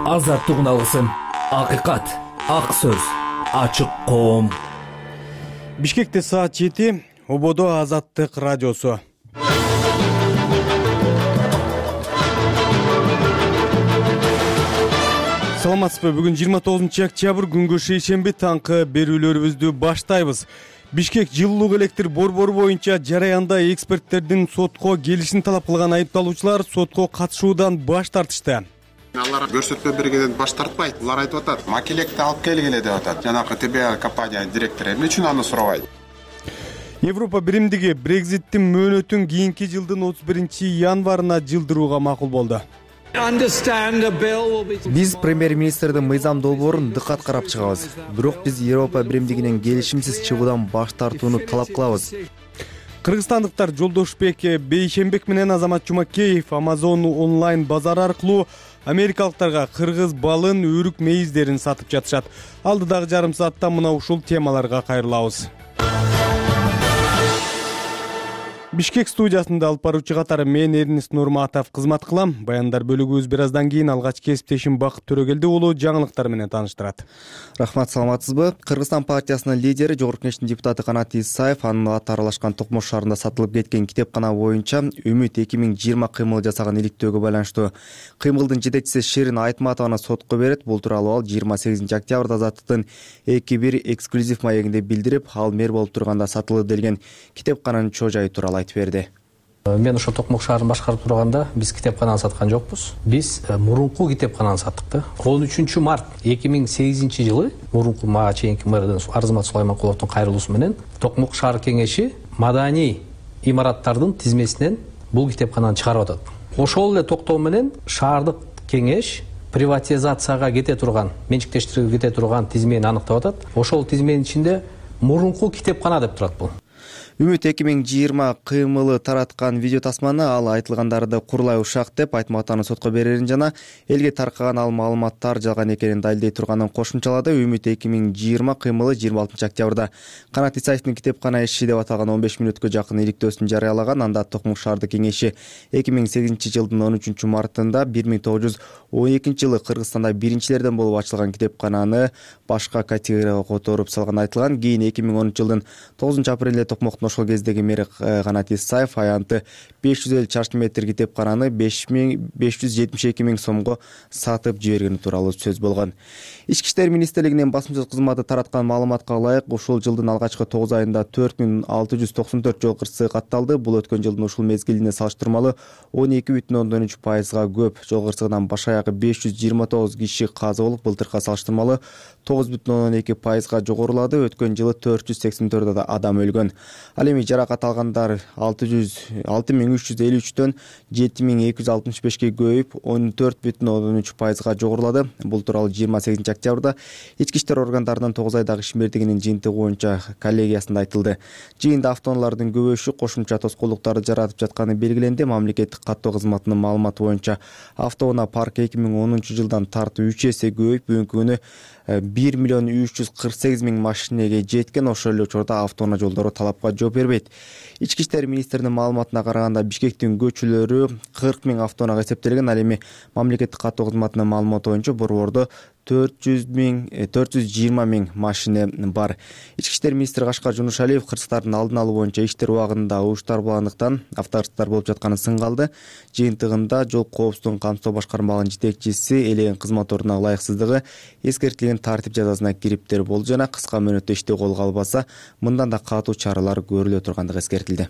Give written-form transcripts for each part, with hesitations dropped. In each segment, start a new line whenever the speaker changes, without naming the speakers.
Азаттык алгысын, акыйкат, ак сөз, ачык коом.
Бишкекте саат 7, Ободо Азаттык радиосу. Саламатсызбы? Бүгүн 29 октябрь, күнгө шейшемби, таңкы берүүлөрүбүздү баштайбыз. Бишкек жылуулук электр борбору боюнча жараянда эксперттердин сотко келишин талап кылган айыпталуучулар сотко катышуудан баш тартышты.
Алар көрсөтмө бергенден баш тартпайт. Алар айтып атат, макелекти алып келгиле деп атат. Жанагы ТБ компания директору эмне үчүн аны сурабайт?
Европа биримдиги Брекзиттин мөөнөтүн кийинки жылдын 31 январына жылдырууга макул болду.
Биз премьер-министрдин мыйзам долбоорун дыкат карап чыгабыз. Бирок биз Европа биримдигинен келишимсиз чыгуудан баш тартууну талап кылабыз.
Кыргызстандыктар Жолдошбек Бейшембек менен Азамат Жумакеев Amazon онлайн базар аркылуу америкалыктарга кыргыз балын, өрүк мейиздерин сатып жатышат. Алдыдагы жарым саатта мына ушул темаларга кайрылабыз. Бишкек студиясында алып баруучу катары мен Эрнист Нурматов кызмат кылам. Баяндар бөлүгүбүз бир аздан кийин алгач кесиптешим Бакыт Төрөгелди уулу жаңылыктар менен тааныштырат.
Рахмат, саламатсызбы? Кыргызстан партиясынын лидери, Жогорку Кеңештин депутаты Канат Исаев анын аты аралашкан Токмош шаарында сатылып кеткен китепкана боюнча Үмүт 2020 кыймыл жасаган иликтөөгө байланыштуу. Кыймылдын жетекчиси Ширин Айтматованы сотко берет. Бул тууралуу ал 28 октябрда Азаттыктын 2-1 эксклюзив маегинде билдирип, ал мэр болуп турганда сатылды делген китепкананын чоо жайы тууралуу айтып берди.
Мен ошо Токмок шаарын башкарып турганда биз китепкананы саткан жокпуз. Биз мурунку китепкананы саттык да. 13 март 2008 жылы мурунку мага чейинки мэрдин Арзымат Сулайманкуловдун кайрылуусу менен Токмок шаар кеңеши маданий имараттардын тизмесинен бул китепкананы чыгарып атат. Ошол эле токтоо менен шаардык кеңеш приватизацияга кете турган, менчиктештирүүгө кете турган тизмени аныктап атат. Ошол тизменин ичинде мурунку китепкана деп турат бул.
Үмүт 2020 кыймылы тараткан видео тасманы ал айтылгандарды курулай ушак деп Айтматованы сотко берерин жана элге таркаган ал маалыматтар жалган экенин далилдей турганын кошумчалады. Үмүт 2020 кыймылы 26 октябрда Канат Исаевдин китепкана иши деп аталган 15 мүнөткө жакын иликтөөсүн жарыялаган. Анда Токмок шаардык кеңеши 2008 жылдын 13 мартында 1912 жылы Кыргызстанда биринчилерден болуп ачылган китепкананы башка категорияга которуп салган айтылган. Кийин 2010 жылдын 9 апрелде Токмоктун ошол кездеги мэри Канат Исаев аянты 550 чарчы метр китепкананы 572 миң сомго сатып жибергени тууралуу сөз болгон. Ички иштер министрлигинин басма сөз кызматы тараткан маалыматка ылайык ушул жылдын алгачкы 9 айында 4694 жол кырсыгы катталды. Бул өткөн жылдын ушул мезгилине салыштырмалуу 12,3%га көп. Жол кырсыгынан баш аягы 529 киши каза болуп, былтыркыга салыштырмалуу 9,2%га жогорулады. Өткөн жылы 484 адам өлгөн. Ал эми жаракат алгандар 6353дөн 7265ке көбөйүп 14,3%га жогорулады. Бул тууралуу 28 октябрда ички иштер органдарынын 9 айдагы ишмердигинин жыйынтыгы боюнча коллегиясында айтылды. Жыйында автоунаалардын көбөйүшү кошумча тоскоолдуктарды жаратып жатканы белгиленди. Мамлекеттик каттоо кызматынын маалыматы боюнча автоунаа паркы 2010 жылдан тартып 3 эсе көбөйүп, бүгүнкү күнү 1,348,000 машинеге жеткен. Ошол эле учурда автоунаа жолдору талапка жооп бербейт. Ички иштер министринин маалыматына караганда Бишкектин көчөлөрү 40,000 автоунаага эсептелген. Ал эми мамлекеттик каттоо кызматынын маалыматы боюнча борбордо 420,000 машина бар. Ички иштер министри Кашкар Жунушалиев кырсыктардын алдын алуу боюнча иштер убагында угуштар болгондуктан автокырсыктар болуп жатканын сынгалды. Жыйынтыгында жол коопсуздугун камсыздоо башкармалыгынын жетекчиси элеген кызмат ордуна ылайыксыздыгы эскертилген тартип жазасына кириптер болду жана кыска мөөнөттө ишти колго албаса мындан да катуу чаралар көрүлө тургандыгы эскертилди.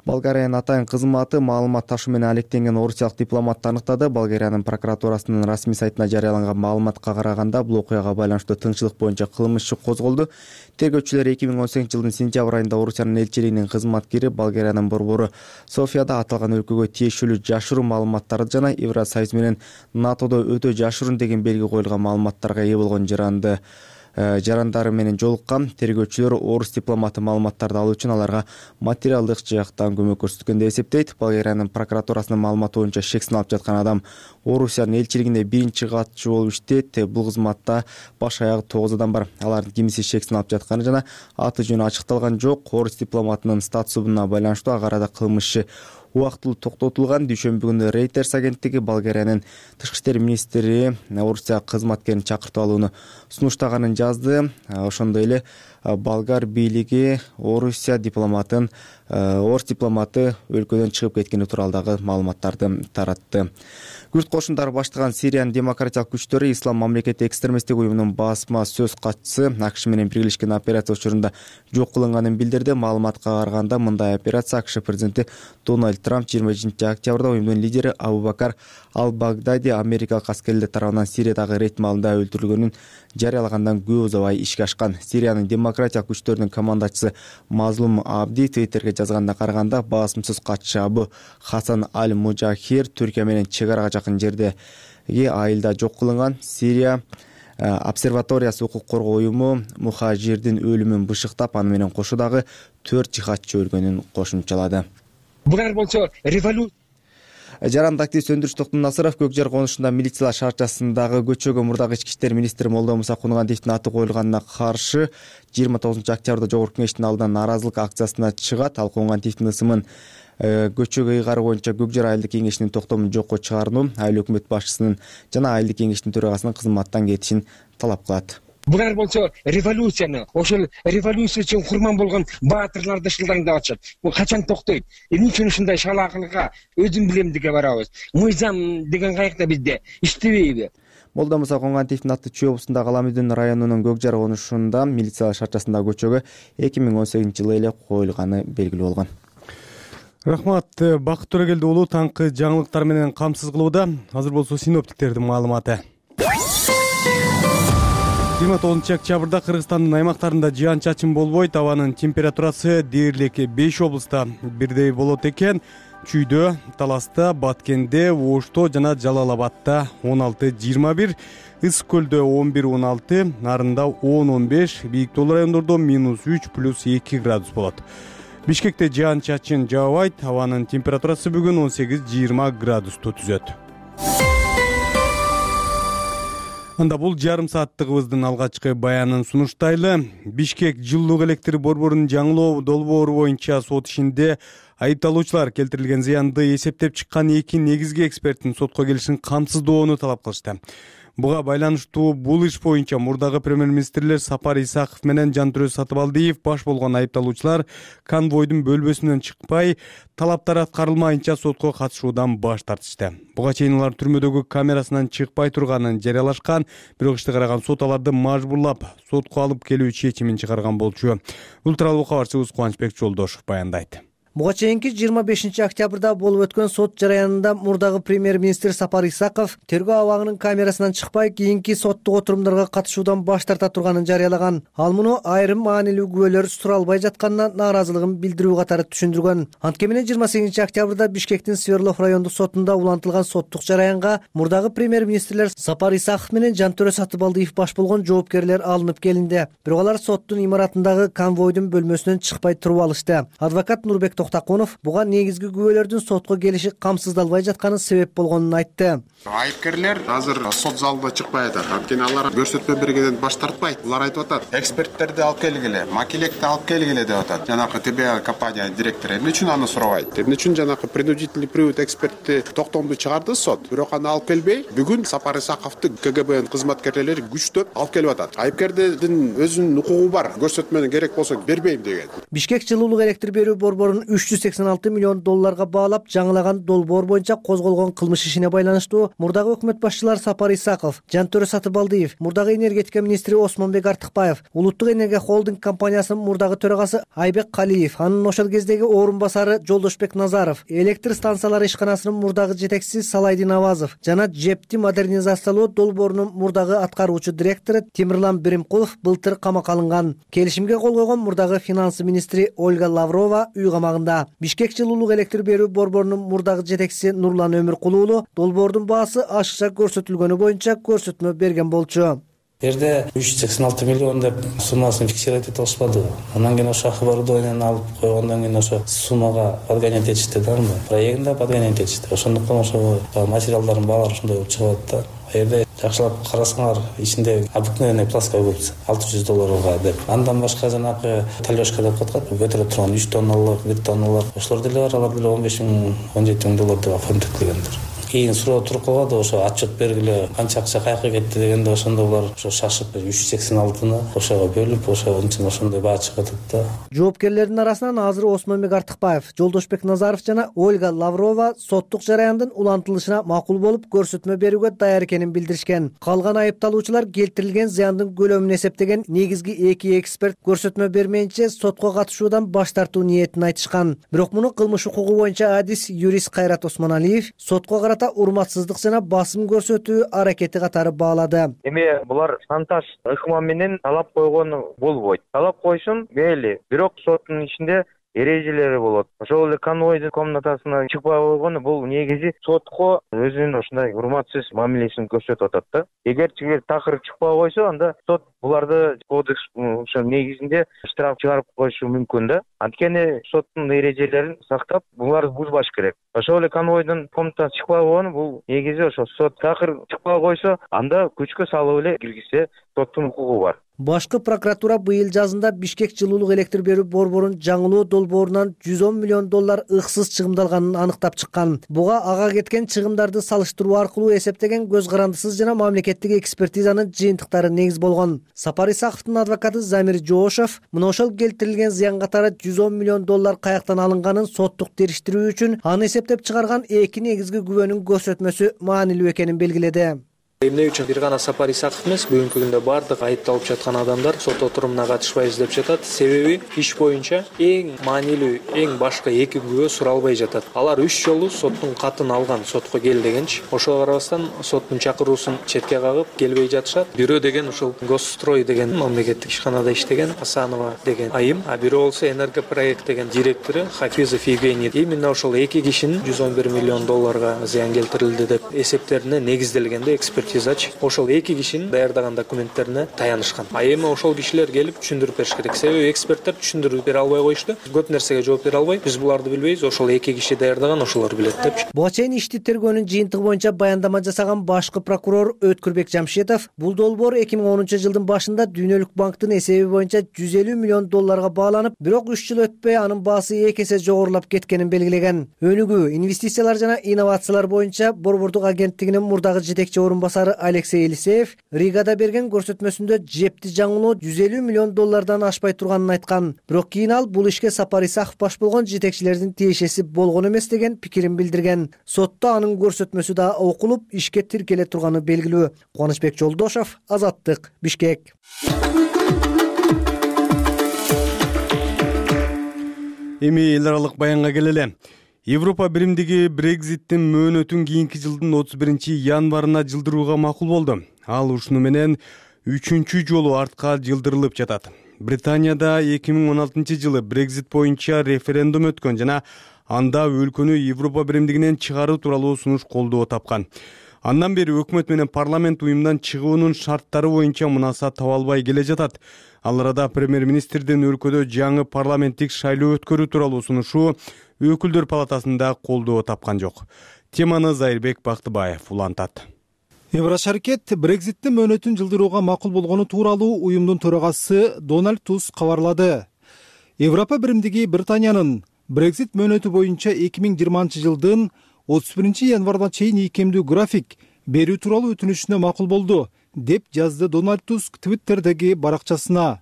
Болгариянын атайын кызматы маалымат ташуу менен алектенген орусиялык дипломатты аныктады. Болгариянын прокуратурасынын расмий сайтына жарыяланган маалыматка караганда бул окуяга байланыштуу тыңчылык боюнча кылмыш иши козголду. Тергөөчүлөр 2018 жылдын сентябрь айында Орусиянын элчилигинин кызматкери Болгариянын борбору Софияда аталган өлкөгө тиешелүү жашыруун маалыматтарды жана Евросоюз менен НАТОдо өтө жашыруун деген белги коюлган маалыматтарга ээ болгон жарандары менен жолуккан. Тергөөчүлөр орус дипломаты маалыматтарды алуу үчүн аларга материалдык жактан көмөк көрсөткөн деп эсептейт. Болгариянын прокуратурасынын маалыматы боюнча шек сыналып жаткан адам Орусиянын элчилигинде биринчи катчу болуп иштейт. Бул кызматта баш аягы 9 адам бар. Алардын кимиси шек сыналып жатканы жана аты жөнү ачыкталган жок. Орус дипломатынын статусуна байланыштуу ага арада кылмыш убактылуу токтотулган. Дүйшөмбү күнү Reuters агенттиги Болгариянын тышкы иштер министри Орусия кызматкерин чакыртып алууну сунуштаганын жазды. Ошондой эле болгар бийлиги орус дипломаты өлкөдөн чыгып кеткени тууралуу дагы маалыматтарды таратты. Күрд кошундары баштаган Сириянын демократиялык күчтөрү Ислам мамлекети экстремисттик уюмунун басма сөз катчысы АКШ менен биргелешкен операция учурунда жок кылынганын билдирди. Маалыматка караганда мындай операция АКШ президенти Дональд Трамп 20 октябрда уюмдун лидери Абу-Бакар Ал-Багдади америкалык аскерлер тарабынан Сириядагы рейд маалында өлтүрүлгөнүн жарыялагандан көп убай ишке ашкан. Сириянын демократиялык күчтөрүнүн командачысы Мазлум Абди Твиттерге жазганда караганда басымсыз катчы Абу Хасан Аль-Мужахир Түркия менен чек арага жакын жердеги айылда жок кылынган. Сирия обсерваториясы укук коргоо уюму мухажирдин өлүмүн бышыктап, аны менен кошо дагы 4 жихадчы өлгөнүн кошумчалады.
Булар болсо революция.
Жарандык активист Өндүрүш Токтомнасыров Көк жар конушунда милициялар шаарчасындагы көчөгө мурдагы ички иштер министри Молдомуса Кунугантиевдин аты коюлганына каршы 29 октябрда жогорку кеңештин алдынан нааразылык акциясына чыгат. Ал Кунугантиевдин ысымын көчөгө ыйгаруу боюнча Көк жар айылдык кеңешинин токтомун жокко чыгарууну, айыл өкмөт башчысынын жана айылдык кеңештин төрагасынын кызматтан кетишин талап кылат.
Булар болсо революцияны, ошол революция үчүн курман болгон баатырларды шылдаңдап атышат. Бул качан токтойт? Эмне үчүн ушундай шалаакылыкка өзүм билем деген барабыз? Мыйзам деген каякта бизде иштебейби?
Молдомуса Кунугантиевдин аты Чүй облусундагы Аламүдүн районунун Көк жар конушунда милициялар шаарчасындагы көчөгө 2018-жылы эле коюлганы белгилүү болгон.
Рахмат, Бакыт Төрөгелди уулу таңкы жаңылыктар менен камсыз кылууда. Азыр болсо синоптиктердин маалыматы. 29 октябрда Кыргызстандын аймактарында жаан-чачын болбойт. Абанын температурасы дээрлик 5 облуста бирдей болот экен. Чүйдө, Таласта, Баткенде, Ошто жана Жалал Абадта 16-21, Ысык көлдө 11-16, Нарында 10-15, бийик тоолуу райондордо -3 + 2 градус болот. Бишкекте жаан-чачын жаабайт. Абанын температурасы бүгүн 18-20 градусту түзөт. Анда бул жарым сааттыгыбыздын алгачкы баянын сунуштайлы. Бишкек жылуулук электр борборунун жаңылоо долбоору боюнча сот ишинде айыпталуучулар келтирилген зыянды эсептеп чыккан 2 негизги эксперттин сотко келишин камсыздоону талап кылышты. Буга байланыштуу бул иш боюнча мурдагы премьер-министрлер Сапар Исаков менен Жантөрөз Сатыбалдиев баш болгон айыпталуучулар конвойдун бөлмөсүнөн чыкпай, талаптар аткарылмайынча сотко катышуудан баш тартышты. Буга чейин алар түрмөдөгү камерасынан чыкпай турганын жарыялашкан, бирок ишти караган сот аларды мажбурлап сотко алып келүү чечимин чыгарган болчу. Бул тууралуу кабарчыбыз Кубанычбек Жолдошов баяндайт.
Буга чейинки 25 октябрда болуп өткөн сот жараянында мурдагы премьер-министр Сапар Исаков тергөө абагынын камерасынан чыкпай кийинки соттук отурумдарга катышуудан баш тарта турганын жарыялаган. Ал муну айрым маанилүү күбөлөр суралбай жатканына нааразылыгын билдирүү катары түшүндүргөн. Анткени менен 28 октябрда Бишкектин Свердлов райондук сотунда улантылган соттук жараянга мурдагы премьер-министрлер Сапар Исаков менен Жантөрөз Сатыбалдиев баш болгон жоопкерлер алынып келинди. Бирок алар соттун имаратындагы конвойдун бөлмөсүнөн чыкпай туруп алышты. Адвокат Нурбек Токтакунов буга негизги күбөлөрдүн сотко келиши камсыздалбай жатканы себеп болгонун айтты.
Айыпкерлер азыр сот залында чыкпай атат. Анткени алар көрсөтмө бергенден баш тартпайт. Булар айтып атат, эксперттерди алып келгиле, макелекти алып келгиле деп атат. Жанакы ТБ компания директору эмне үчүн аны сурабайт? Эмне үчүн жанакы принудительный привод экспертти токтомду чыгарды сот, бирок аны алып келбей, бүгүн Сапар Исаковду КГБнын кызматкерлери күчтөп алып келип атат. Айыпкердин өзүнүн укугу бар, көрсөтмөнү керек болсо бербейм деген.
Бишкек жылуулук электр берүү борборунун $386 миллион баалап жаңылаган долбоор боюнча козголгон кылмыш ишине байланыштуу мурдагы өкмөт башчылар Сапар Исаков, Жантөрөз Сатыбалдиев, мурдагы энергетика министри Осмонбек Артыкбаев, Улуттук энергия холдинг компаниясынын мурдагы төрагасы Айбек Калиев, анын ошол кездеги орун басары Жолдошбек Назаров, электр станциялары ишканасынын мурдагы жетекчиси Салайдин Авазов жана ЖЭПти модернизациялоо долбоорунун мурдагы аткаруучу директору Темирлан Биримкулов былтыр камакка алынган. Келишимге кол койгон мурдагы финансы министри Ольга Лаврова үй камагында. Бишкек жылуулук электр берүү борборунун мурдагы жетекчиси Нурлан Өмүркулуулу долбоордун баасы ашыкча көрсөтүлгөнү боюнча көрсөтмө берген болчу.
Жерде 386 миллион деп суммасын фиксировать ете алышпады. Андан кийин ошо оборудованияны алып койгондон кийин ошо суммага подгонять этишти да, проектинде подгонять этишти. Ошондуктан ошо материалдардын баалары ошондой болуп чыгып атат да. Жерде жакшылап карасаңар ичинде обыкновенный плоская губца $600 деп. Андан башка жанагы талёшка деп аткат, ветро турган 3 тонналык, 1 тонналык ошолор деле бар, алар деле $15,000, $17,000 деп фондтеклегендер. Кийин суроо туруп калды, ошо отчет бергиле, канча акча каяка кетти дегенде ошондо булар ошо шашып 386-ны ошого бөлүп, ошондой баа чыгып атат да.
Жоопкерлердин арасынан азыр Осмонбек Артыкбаев, Жолдошбек Назаров жана Ольга Лаврова соттук жараяндын улантылышына макул болуп көрсөтмө берүүгө даяр экенин билдиришкен. Калган айыпталуучулар келтирилген зыяндын көлөмүн эсептеген негизги 2 эксперт көрсөтмө бермейинче сотко катышуудан баш тартуу ниетин айтышкан. Бирок муну кылмыш укугу боюнча адис юрист Кайрат Осмоналиев сотко карата урматсыздык жана басым көрсөтүү аракети катары баалады.
Эми булар шантаж ыкма менен талап койгону болбойт. Талап койсун, мейли. Бирок соттун ичинде эрежелери болот. Ошол эле конвойдун комнатасына чыкпай койгону бул негизи сотко өзүнүн ушундай урматсыз мамилесин көрсөтүп атат да. Эгер такыр чыкпай койсо, анда сот буларды кодекс ошо негизинде штраф чыгарып коюшу мүмкүн да. Анткени соттун эрежелерин сактап, буларды бузбаш керек. Ошол эле конвойдун комнатасына чыкпай койгону бул негизи ошо сот такыр чыкпай койсо, анда күчкө салып эле киргизсе соттун укугу бар.
Башкы прокуратура быйыл жазында Бишкек жылуулук электр берүү борборунун жаңылоо долбоорунан $110 миллион ыксыз чыгымдалганын аныктап чыккан. Буга ага кеткен чыгымдарды салыштыруу аркылуу эсептеген көз карандысыз жана мамлекеттик экспертизанын жыйынтыктары негиз болгон. Сапар Исаковдун адвокаты Замир Жоошев мына ошол келтирилген зыян катары $110 миллион каяктан алынганын соттук териштирүү үчүн аны эсептеп чыгарган эки негизги күбөнүн көрсөтмөсү маанилүү экенин белгиледи.
Эмне үчүн бир гана Сапар Исаков эмес, бүгүнкү күндө бардык айыпталып жаткан адамдар сот отурумуна катышпайбыз деп жатат. Себеби иш боюнча эң маанилүү, эң башкы эки күбө суралбай жатат. Алар 3 жолу соттун катын алган, сотко кел дегенчи. Ошого карабастан соттун чакыруусун четке кагып келбей жатышат. Бирөө деген ушул Госстрой деген мамлекеттик ишканада иштеген Асанова деген айым, а бирөө болсо Энергопроект деген директору Хафизов Евгений. Именно ошол эки кишинин $111 миллион зыян келтирилди деп эсептерине негизделгенде эксперт ошол эки кишинин даярдаган документтерине таянышкан. А эми ошол кишилер келип түшүндүрүп бериш керек. Себеби эксперттер түшүндүрүп бере албай коюшту. Көп нерсеге жооп бере албай, биз буларды билбейбиз, ошол эки киши даярдаган, ошолор билет депчи.
Буга чейин ишти тергөөнүн жыйынтыгы боюнча баяндама жасаган башкы прокурор Өткүрбек Жамшитов бул долбоор 2010-жылдын башында Дүйнөлүк банктын эсеби боюнча $150 миллион бааланып, бирок 3 жыл өтпөй анын баасы 2 эсе жогорулап кеткенин белгилеген. Өнүгүү, инвестициялар жана инновациялар боюнча борбордук агенттигинин мурдагы жетекчи орун басары Алексей Елисеев Ригада берген көрсөтмөсүндө жепти жаңылоо $150 миллион ашпай турганын айткан. Бирок кийин ал бул ишке Сапар Исаков баш болгон жетекчилердин тиешеси болгон эмес деген пикирин билдирген. Сотто анын көрсөтмөсү да окулуп, ишке тиркеле турганы белгилүү. Кубанычбек Жолдошов, Азаттык, Бишкек.
Эми эл аралык баянга келеле. Европа биримдиги Брекзиттин мөөнөтүн кийинки жылдын 31-январына жылдырууга макул болду. Ал ушуну менен 3-чү жолу артка жылдырылып жатат. Британияда 2016-жылы Брекзит боюнча референдум өткөн жана анда өлкөнү Европа биримдигинен чыгаруу тууралуу сунуш колдоо тапкан. Андан бери өкмөт менен парламент уюмдан чыгуунун шарттары боюнча мунаса таба албай келе жатат. Ал арада премьер-министрдин өлкөдө жаңы парламенттик шайлоо өткөрүү тууралуу сунушу Өкүлдөр палатасында колдоо тапкан жок. Теманы Зайырбек Бактыбаев улантат.
Еврошаркет Брекзиттин мөөнөтүн жылдырууга макул болгону тууралуу уюмдун төрагасы Дональд Туск кабарлады. Европа биримдиги Британиянын Брекзит мөөнөтү боюнча 2020-жылдын 31-январына чейин ийкемдүү график берүү тууралуу өтүнүшүнө макул болду, деп жазды Дональд Туск Твиттердеги баракчасына.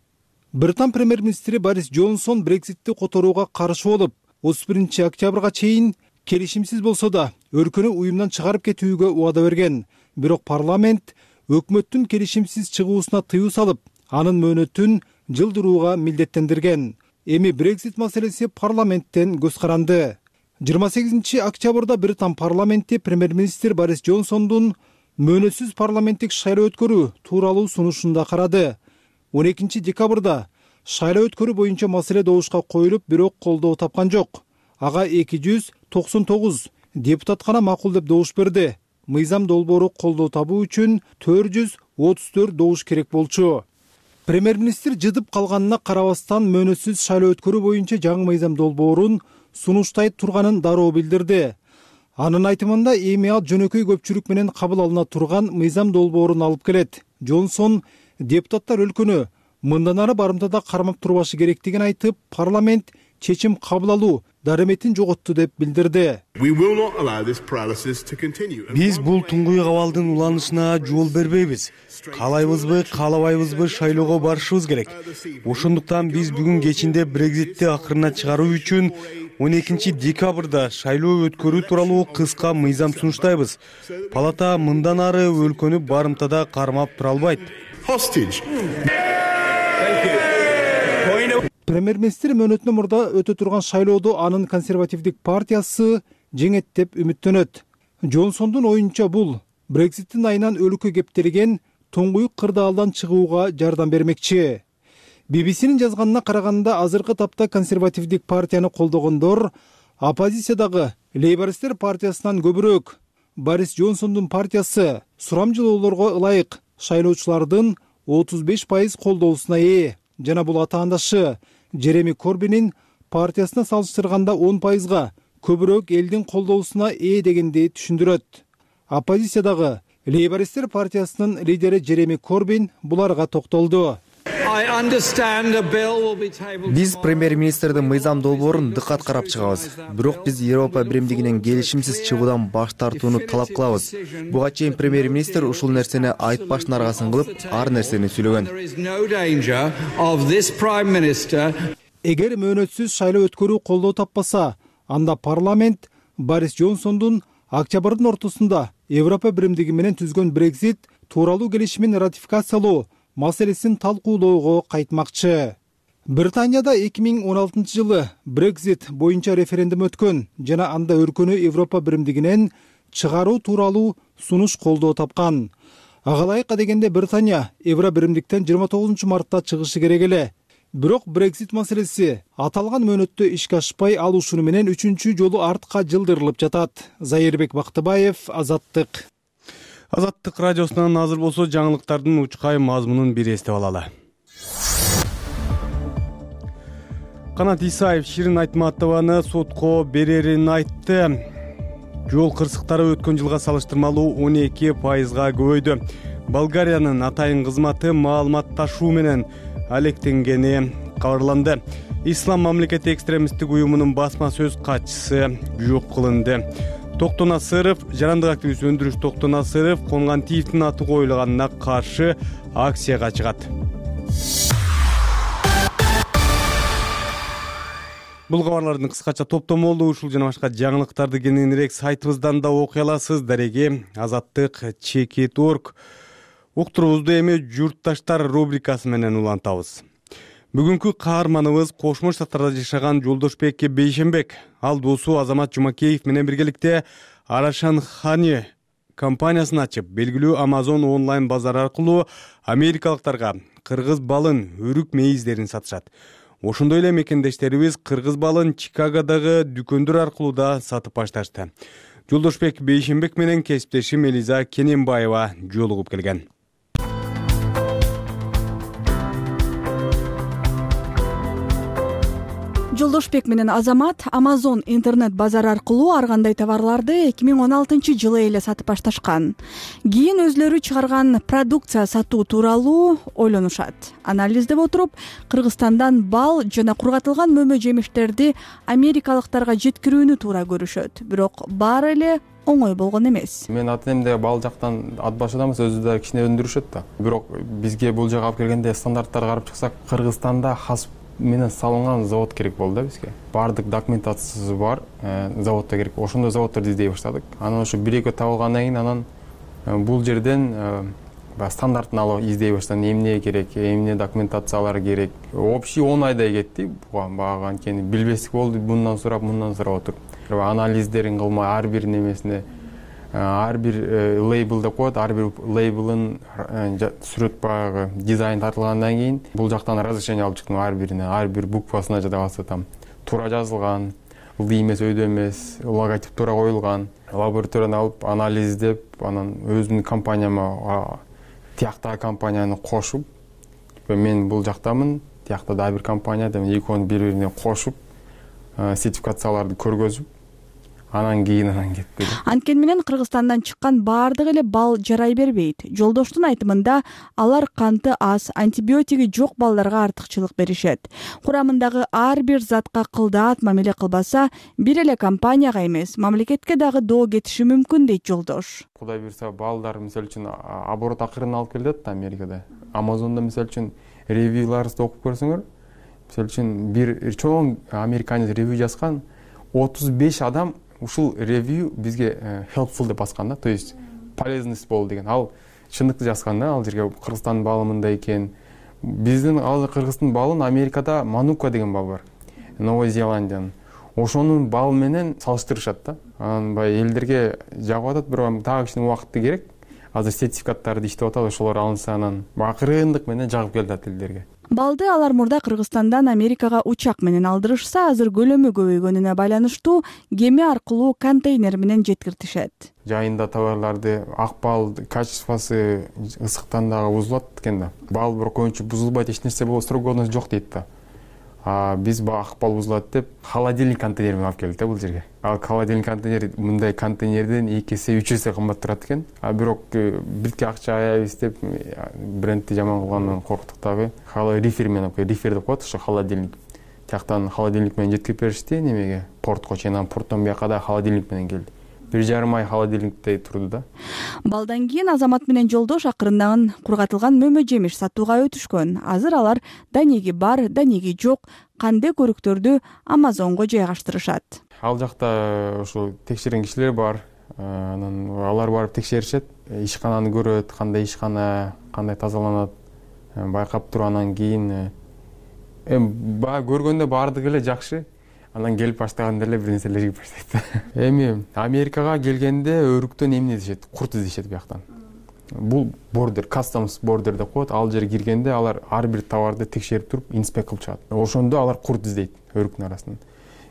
Британ премьер-министри Борис Джонсон Брекзитти которууга каршы болуп, 31-октябрга чейин келишимсиз болсо да өлкөнү уюмдан чыгарып кетүүгө убада берген. Бирок парламент өкмөттүн келишимсиз чыгуусуна тыюу салып, анын мөөнөтүн жылдырууга милдеттендирген. Эми Брекзит маселеси парламенттен көз каранды. 28-октябрда Британ парламенти премьер-министр Борис Джонсондун мөөнөтсүз парламенттик шайлоо өткөрүү тууралуу сунушунда карады. 12-декабрда шайлоо өткөрүү боюнча маселе добушка коюлуп, бирок колдоо тапкан жок. Ага 299 депутат гана макул деп добуш берди. Мыйзам долбоору колдоо табуу үчүн 434 добуш керек болчу. Премьер-министр жыдып калганына карабастан мөөнөтсүз шайлоо өткөрүү боюнча жаңы мыйзам долбоорун сунуштай турганын дароо билдирди. Анын айтымында эми ал жөнөкөй көпчүлүк менен кабыл алына турган мыйзам долбоорун алып келет. Джонсон депутаттар өлкөнү мындан ары барымтада кармап турбашы керектигин айтып, парламент чечим кабыл алуу дареметин жоготту деп билдирди.
Биз бул туңгуй абалдын уланышына жол бербейбиз. Каалайбызбы, каалабайбызбы шайлоого барышыбыз керек. Ошондуктан биз бүгүн кечинде Брекзитти акырына чыгаруу үчүн 12 декабрда шайлоо өткөрүү тууралуу кыска мыйзам сунуштайбыз. Палата мындан ары өлкөнү барымтада кармап тура албайт.
Премьер-министр мөөнөтүнөн мурда өтө турган шайлоодо анын консервативдик партиясы жеңет деп үмүттөнөт. Джонсондун оюнча бул Брекзиттин айынан өлкө кептелген туңгуюк кырдаалдан чыгууга жардам бермекчи. BBC-нин жазганына караганда азыркы тапта консервативдик партияны колдогондор оппозициядагы Лейбористтер партиясынан көбүрөөк. Борис Джонсондун партиясы сурамжылоолорго ылайык шайлоочулардын 35% колдоосуна ээ. Жана бул атаандашы Джереми Корбинин партиясына салыштырганда 10%га көбүрөөк элдин колдоосуна ээ дегенди түшүндүрөт. Оппозициядагы Лейбористтер партиясынын лидери Джереми Корбин буларга токтолду.
Биз премьер-министрдин мыйзам долбоорун дыккат карап чыгабыз. Бирок биз Европа биримдигинен келишимсиз чыгуудан баш тартууну талап кылабыз. Буга чейин премьер-министр ушул нерсени айтпаштын аргасын кылып, ар нерсени сүйлөгөн.
Эгер мөөнөтсүз шайлоо өткөрүү колдоо таппаса, анда парламент Борис Джонсондун октябрдын ортосунда Европа биримдиги менен түзгөн Брекзит тууралуу келишимин ратификациялоо маселесин талкуулоого кайтмакчы. Британияда 2016 жылы Брекзит боюнча референдум өткөн жана анда өлкөнү Европа биримдигинен чыгаруу тууралуу сунуш колдоо тапкан. Ага ылайык дегенде Британия Евро биримдиктен 29 мартта чыгышы керек эле. Бирок Брекзит маселеси аталган мөөнөттө ишке ашпай, ал ушуну менен 3-чү жолу артка жылдырылып жатат. Зайырбек Бактыбаев, Азаттык.
Азаттык радиосунан азыр болсо жаңылыктардын учкай мазмунун бир эстеп алалы. Канат Исаев Ширин Айтматованы сотко берерин айтты. Жол кырсыктары өткөн жылга салыштырмалуу 12%га көбөйдү. Болгариянын атайын кызматы маалымат ташуу менен алектенгени кабарланды. Ислам мамлекети экстремисттик уюмунун басма сөз катчысы жок кылынды. Токтон Асыров, жарандык активист Өндүрүш Токтон Асыров Конгантиевдин аты коюлганына каршы акцияга чыгат. Бул кабарлардын кыскача топтомолу ушул жана башка жаңылыктарды кененирээк сайтыбыздан да окуй аласыз. Дареги Азаттык.org. Уктурубузду эми журтташтар рубрикасы менен улантабыз. Бүгүнкү каарманыбыз Кошмо Штаттарда жашаган Жолдошбек Бейшенбек. Ал досу Азамат Жумакеев менен биргеликте Арашан Хани компаниясын ачып, белгилүү Amazon онлайн базар аркылуу америкалыктарга кыргыз балын, өрүк мейиздерин сатышат. Ошондой эле мекендештерибиз кыргыз балын Чикагодагы дүкөндөр аркылуу да сатып башташты. Жолдошбек Бейшенбек менен кесиптешим Элиза Кененбаева жолугуп келген.
Жолдошбек менен Азамат Amazon интернет базар аркылуу ар кандай товарларды 2016 жылы эле сатып башташкан. Кийин өзлөрү чыгарган продукция сатуу тууралуу ойлонушат. Анализдеп отуруп, Кыргызстандан бал жана кургатылган мөмө жемиштерди америкалыктарга жеткирүүнү туура көрүшөт. Бирок баары эле оңой болгон эмес.
Мен ата-энемде бал жактан ат башыдамыз, өзү да кичине өндүрүшөт да. Бирок бизге бул жака алып келгенде стандарттарды карап чыксак, Кыргызстанда хас менен салынган завод керек болду да бизге. Бардык документациясы бар, заводдо керек. Ошондой заводдорду издей баштадык. Анан ошо 1-2 табылгандан кийин анан бул жерден стандартын алып издей баштадым. Эмне керек, эмне документациялар керек. Общий 10 айдай кетти. Буга анткени билбестик болду. Мындан сурап отуруп. Анализдерин кылмай ар бир немесине ар бир лейбл деп коет, ар бир лейблын сүрөт баягы дизайн тартылгандан кийин бул жактан разрешение алып чыктым ар бирине, ар бир буквасына жада калса там туура жазылган, ылдый эмес, өйдө эмес, логотип туура коюлган. Лабораторияны алып анализдеп, анан өзүмдүн компанияма тияктагы компанияны кошуп, мен бул жактамын, тиякта дагы бир компания деп экөөнү бири-бирине кошуп, сертификацияларды көргөзүп, анан кийин кетти.
Анткени менен Кыргызстандан чыккан баардык эле бал жарай бербейт. Жолдоштун айтымында алар канты аз, антибиотиги жок балдарга артыкчылык беришет. Курамындагы ар бир затка кылдаат мамиле кылбаса, бир эле компанияга эмес, мамлекетке дагы доо кетиши мүмкүн дейт жолдош.
Кудай буйрса балдар мисалы үчүн оборот акырын алып келет да Америкада. Amazon'da мисалы үчүн ревьюларыбызды окуп көрсөңөр, мисалы үчүн бир чоң американец ревью жазган, 35 адам ушул ревью бизге helpful деп баскан да, то есть полезность болду деген. Ал чындыкты жазган да, ал жерге Кыргызстандын балы мындай экен. Биздин ал Кыргыздын балын Америкада Манука деген бал бар. Новая Зеландиянын. Ошонун балы менен салыштырышат да. Анан баягы элдерге жагып атат, бирок дагы кичине убакыты керек. Азыр сертификаттарды иштеп атат, ошолор алынса анан акырындык менен жагып келет элдерге.
Балды алар мурда Кыргызстандан Америкага учак менен алдырышса, азыр көлөмү көбөйгөнүнө байланыштуу кеме аркылуу контейнер менен жеткиртишет.
Жайында товарларды ак бал качествосы ысыктан дагы бузулат экен да. Бал бирок көбүнчө бузулбайт, эч нерсе боло строгоность жок дейт да. Биз ак бал бузулат деп холодильник контейнер менен алып келдик да бул жерге. Ал холодильник контейнер мындай контейнерден 2 эсе 3 эсе кымбат турат экен. Бирок бирке акча аябыз деп брендти жаман кылгандан корктук дагы. Рифер менен рифер деп коет, ошо холодильник. Тияктан холодильник менен жеткирип беришти немеге, портко чейин, порттон бияка да холодильник менен келди. 1,5 ай холодильникте турду да.
Балдан кийин Азамат менен жолдош акырындан кургатылган мөмө жемиш сатууга өтүшкөн. Азыр алар данеги бар, данеги жок кандай көрүктөрдү Amazonго жайгаштырышат.
Ал жакта ошо текшерген кишилер бар. Анан алар барып текшеришет, ишкананы көрөт, кандай ишкана, кандай тазаланат, байкап туруп анан кийин көргөндө баардыгы эле жакшы. Анан келип баштаганда эле бир нерселер жигип баштайт. Эми Америкага келгенде өрүктөн эмне дешет? Курт издешет бияктан. Бул бордер, customs border деп коет. Ал жерге киргенде алар ар бир товарды текшерип туруп, инспект кылып чыгат. Ошондо алар курт издейт өрүктүн арасынан.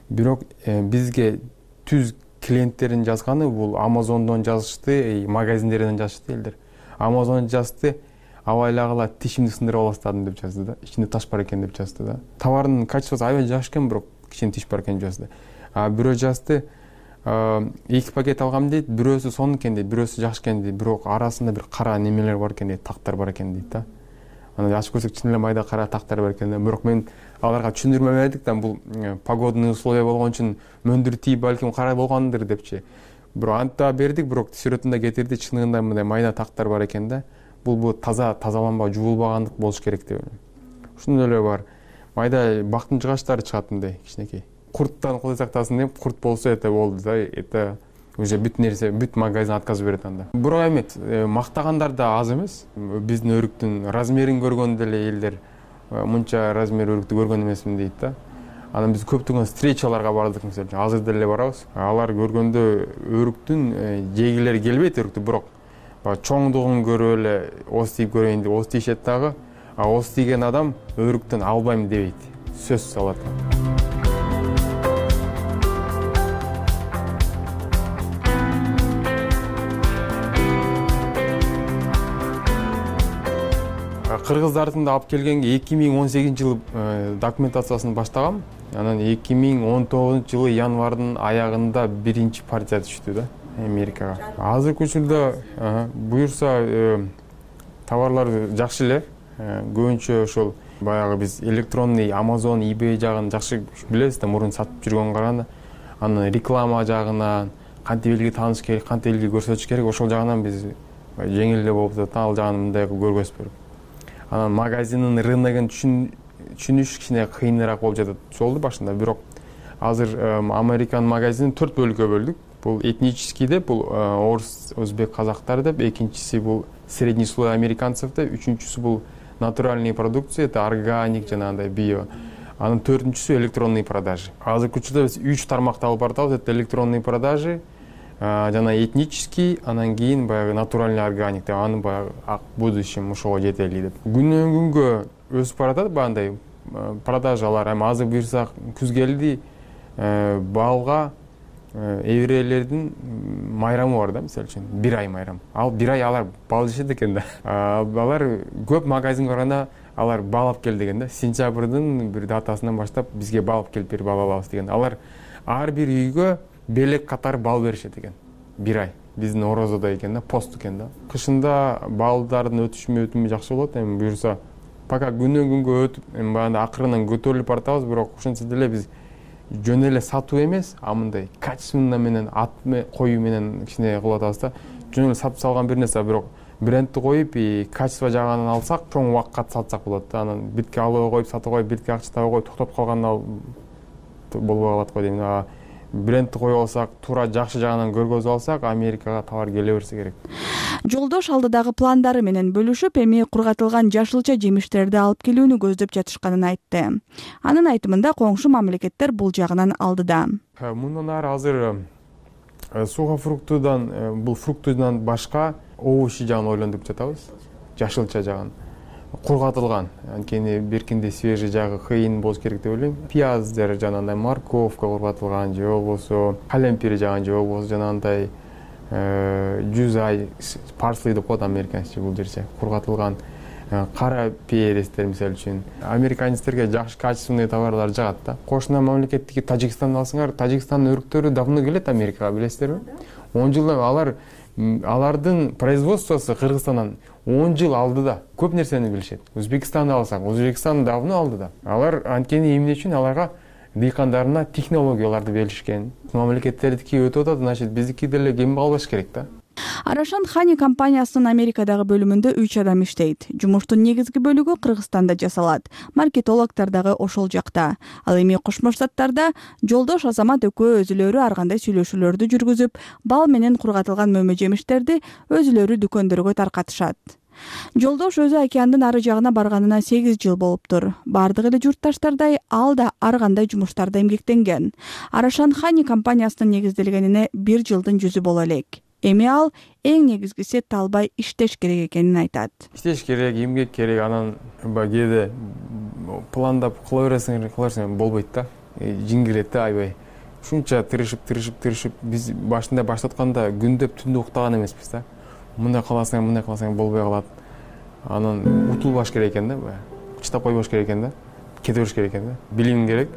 Бирок бизге түз клиенттерин жазганы бул Amazon'дон жазышты, магазиндерден жазышты элдер. Amazon жазды, абайлагыла тишимди сындырып аластадым деп жазды да. Ичинде таш бар экен деп жазды да. Товардын качествосу аябай жакшы экен, бирок кичине тиш бар экен жазды. Бирөө жазды, 2 пакет алгам дейт, бирөөсү сонун экен дейт, бирөөсү жакшы экен дейт, бирок арасында бир кара немелер бар экен дейт, тактар бар экен дейт да. Аны ачып көрсөк чын эле майда кара тактар бар экен да. Бирок мен аларга түшүндүрмө бердик да, бул погодный условия болгон үчүн мөндүр тийип балким кара болгондур депчи. Бирок антта бердик, бирок сүрөтүндө кетирди, чыныгында мындай майда тактар бар экен да. Бул тазаланбай, жуулбагандык болуш керек деп. Ушундай эле бар. Майда бактын жыгачтары чыгат мындай кичинекей. Курттан Кудай сактасын деп, курт болсо болду да. Это уже бүт нерсе, бүт магазин отказ берет анда. Бирок эми мактагандар да аз эмес. Биздин өрүктүн размерин көргөндө эле элдер мынча размер өрүктү көргөн эмесмин дейт да. Анан биз көптөгөн встречаларга бардык, мисалы, азыр деле барабыз. Алар көргөндө өрүктүн жегилери келбейт өрүктү, бирок чоңдугун көрүп эле ос тийип көрөйүн деп ос тийишет дагы. Ос тийген адам өрүктөн албайм дебейт. Сөзсүз алат. Кыргыздардын да алып келгенге 2018-жылы документациясын баштагам. Анан 2019-жылы январдын аягында биринчи партия түштү да Америкага. Азыркы учурда буюрса товарлар жакшы эле. Көбүнчө ошол баягы биз электронный Amazon, eBay жагын жакшы билебиз да, мурун сатып жүргөнгө караганда. Анан реклама жагынан кантип элге тааныш керек, кантип элге көрсөтүш керек, ошол жагынан биз жеңил эле болуп атат. Ал жагын мындай көргөзүп берип. Анан магазиндин рыногун түшүнүш кичине кыйыныраак болуп жатат. Жолду башында, бирок азыр Американ магазинин 4 бөлүккө бөлдүк. Бул этнический деп, бул орус, өзбек, казактар деп, экинчиси бул средний слой американцев деп, үчүнчүсү бул натуральный продукция, это органик жанагындай био. Анын төртүнчүсү электронный продажи. Азыркы учурда биз 3 тармакта алып барабыз. Это электронный продажи, жана этнический, анан кийин баягы натуральный органик деп, аны баягы будущем ошого жетели деп. Күнөн күнгө өсүп баратат бандай продажалар. Эми азыр буйрсак күз келди, балга эврейлердин майрамы бар да, мисалы үчүн, 1 ай майрам. Ал 1 ай алар бал жешет экен да. Алар көп магазинге барганда алар бал алып кел деген да. Сентябрдын бир датасынан баштап бизге бал алып келип бер, бал алабыз деген. Алар ар бир үйгө белек катары бал беришет экен. 1 ай. Биздин орозодо экен да, пост экен да. Кышында балдардын өтүшмө жакшы болот. Эми буюрса, пока күнөн күнгө өтүп, эми баягы акырынан көтөрүлүп баратабыз, бирок ошентсе деле биз жөн эле сатуу эмес, а мындай качественно менен ат коюу менен кичине кылып атабыз да. Жөн эле сатып салган бир нерсе, бирок брендти коюп, качество жагынан алсак, чоң убакытка сатсак болот да. Анан битке алып коюп, сатып коюп, битке акча табып коюп, токтоп калганда болбой калат го дейм. Брендти коюп алсак, туура жакшы жагынан көргөзүп алсак, Америкага товар келе берсе керек.
Жолдош алдыдагы пландары менен бөлүшүп, эми кургатылган жашылча жемиштерди алып келүүнү көздөп жатышканын айтты. Анын айтымында коңшу мамлекеттер бул жагынан алдыда.
Мындан ары азыр сухофруктудан, бул фруктудан башка овощи жагын ойлонуп жатабыз. Жашылча жагын. Кургатылган, анткени беркинде свежий жагы кыйын болуш керек деп ойлойм. Пияздер, жанагындай морковка кургатылган, же болбосо калемпир жаган, же болбосо жанагындай жузай, парсли деп коет американча бул жерче. Кургатылган кара перестер мисалы үчүн. Американецтерге жакшы качественный товарлар жагат да. Кошуна мамлекеттики Тажикстанды алсаңар, Тажикстандын өрүктөрү давно келет Америкага, билесиздерби? 10 жылдан алардын производствосу Кыргызстандан 10 жыл алдыда. Көп нерсени билишет. Өзбекстанды алсак, Өзбекстан давно алдыда. Алар анткени эмне үчүн аларга дыйкандарына технологияларды беришкен. Мамлекеттердики өтүп атат, значит, биздики деле кем калбаш керек да.
Арашан Хани компаниясынын Америкадагы бөлүмүндө 3 адам иштейт. Жумуштун негизги бөлүгү Кыргызстанда жасалат. Маркетологдор дагы ошол жакта. Ал эми Кошмо Штаттарда Жолдош Азамат экөө өзүлөрү ар кандай сүйлөшүүлөрдү жүргүзүп, бал менен кургатылган мөмө жемиштерди өзүлөрү дүкөндөргө таркатышат. Жолдош өзү океандын ары жагына барганына 8 жыл болуптур. Бардык эле журтташтардай ал да ар кандай жумуштарда эмгектенген. Арашан Хани компаниясынын негизделгенине 1 жылдын жүзү боло элек. Эми ал эң негизгиси талбай иштеш керек экенин айтат.
Иштеш керек, эмгек керек, анан кээде пландап кыла берсең болбойт да. Жиңгирет да айбай. Ушунча тырышып, биз башында баштатканда күндөп түндө уктаган эмеспиз да. Мындай кыласаң болбой калат. Анан утулбаш керек экен да, чыдап койбош керек экен да. Кете бериш керек экен да. Билим керек.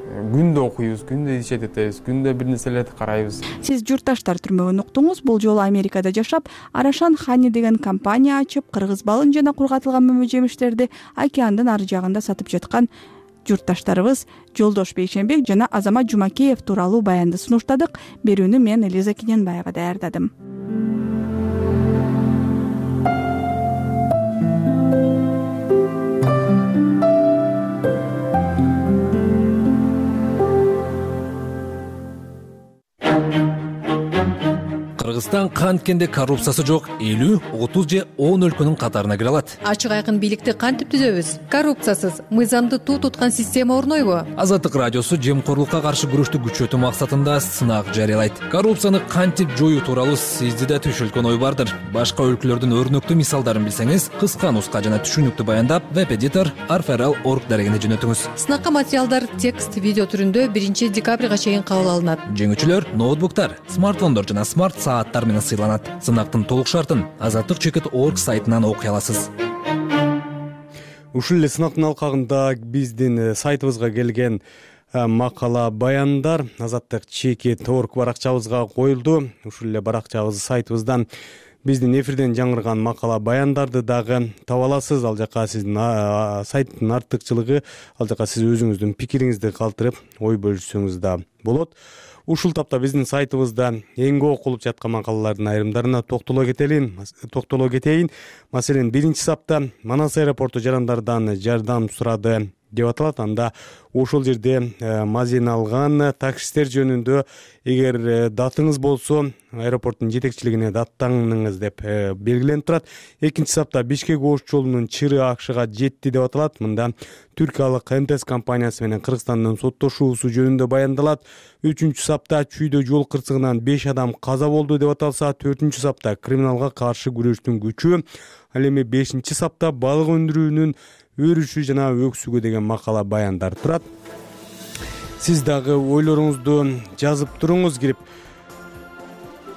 Күндө окуйбуз, күндө ишет этебиз, күндө бир нерселерди карайбыз.
Сиз журтташтар түрмөгүн уктуңуз. Бул жолу Америкада жашап, Арашан Хани деген компания ачып, кыргыз балын жана кургатылган мөмө жемиштерди океандын ары жагында сатып жаткан журтташтарыбыз Жолдош Бейшенбек жана Азамат Жумакеев тууралуу баянды сунуштадык. Берүүнү мен Элиза Киненбаева даярдадым.
Кыргызстан канткенде коррупциясы жок 50, 30 же 10 өлкөнүн катарына кире алат.
Ачык айкын бийликти кантип түзөбүз? Коррупциясыз, мыйзамды туу туткан система орнойбу?
Азаттык радиосу жемкорлукка каршы күрөштү күчөтүү максатында сынак жарыялайт. Коррупцияны кантип жоюу тууралуу сизди да түшүлгөн ой бардыр. Башка өлкөлөрдүн өрнөктүү мисалдарын билсеңиз, кыска нуска жана түшүнүктүү баяндап веб-эдитор arferal.org дарегине жөнөтүңүз.
Сынакка материалдар текст, видео түрүндө 1 декабрга чейин кабыл алынат.
Жеңүүчүлөр ноутбуктар, смартфондор жана смарт сааттар менен сыйланат. Сынактын толук шартын azatlyk.org сайтынан окуй аласыз.
Ушул эле сынактын алкагында биздин сайтыбызга келген макала баяндар azatlyk.org баракчабызга коюлду. Ушул эле баракчабыз сайтыбыздан биздин эфирден жаңырган макала баяндарды дагы таба аласыз. Ал жака сиздин сайттын артыкчылыгы, ал жака сиз өзүңүздүн пикириңизди калтырып ой бөлүшсөңүз да болот. Ушул тапта биздин сайтыбызда эң көп окулуп жаткан макалалардын айрымдарына токтоло кетейин. Маселен, 1-сапта Манас аэропорту жарандардан жардам сурады деп аталат. Анда ошол жерде мазен алган таксисттер жөнүндө эгер датыңыз болсо аэропорттун жетекчилигине даттаңыз деп белгиленип турат. 2-сапта Бишкек-Ош жолунун чыры акшыга жетти деп аталат. Мында түркиялык МТС компаниясы менен Кыргызстандын соттошуусу жөнүндө баяндалат. 3-сапта Чүйдө жол кырсыгынан 5 адам каза болду деп аталса, 4-сапта криминалга каршы күрөштүн күчү, ал эми 5-сапта балык өндүрүүнүн өрүшү жана өксүгү деген макала баяндар турат. Сиз дагы ойлоруңузду жазып туруңуз. Кирип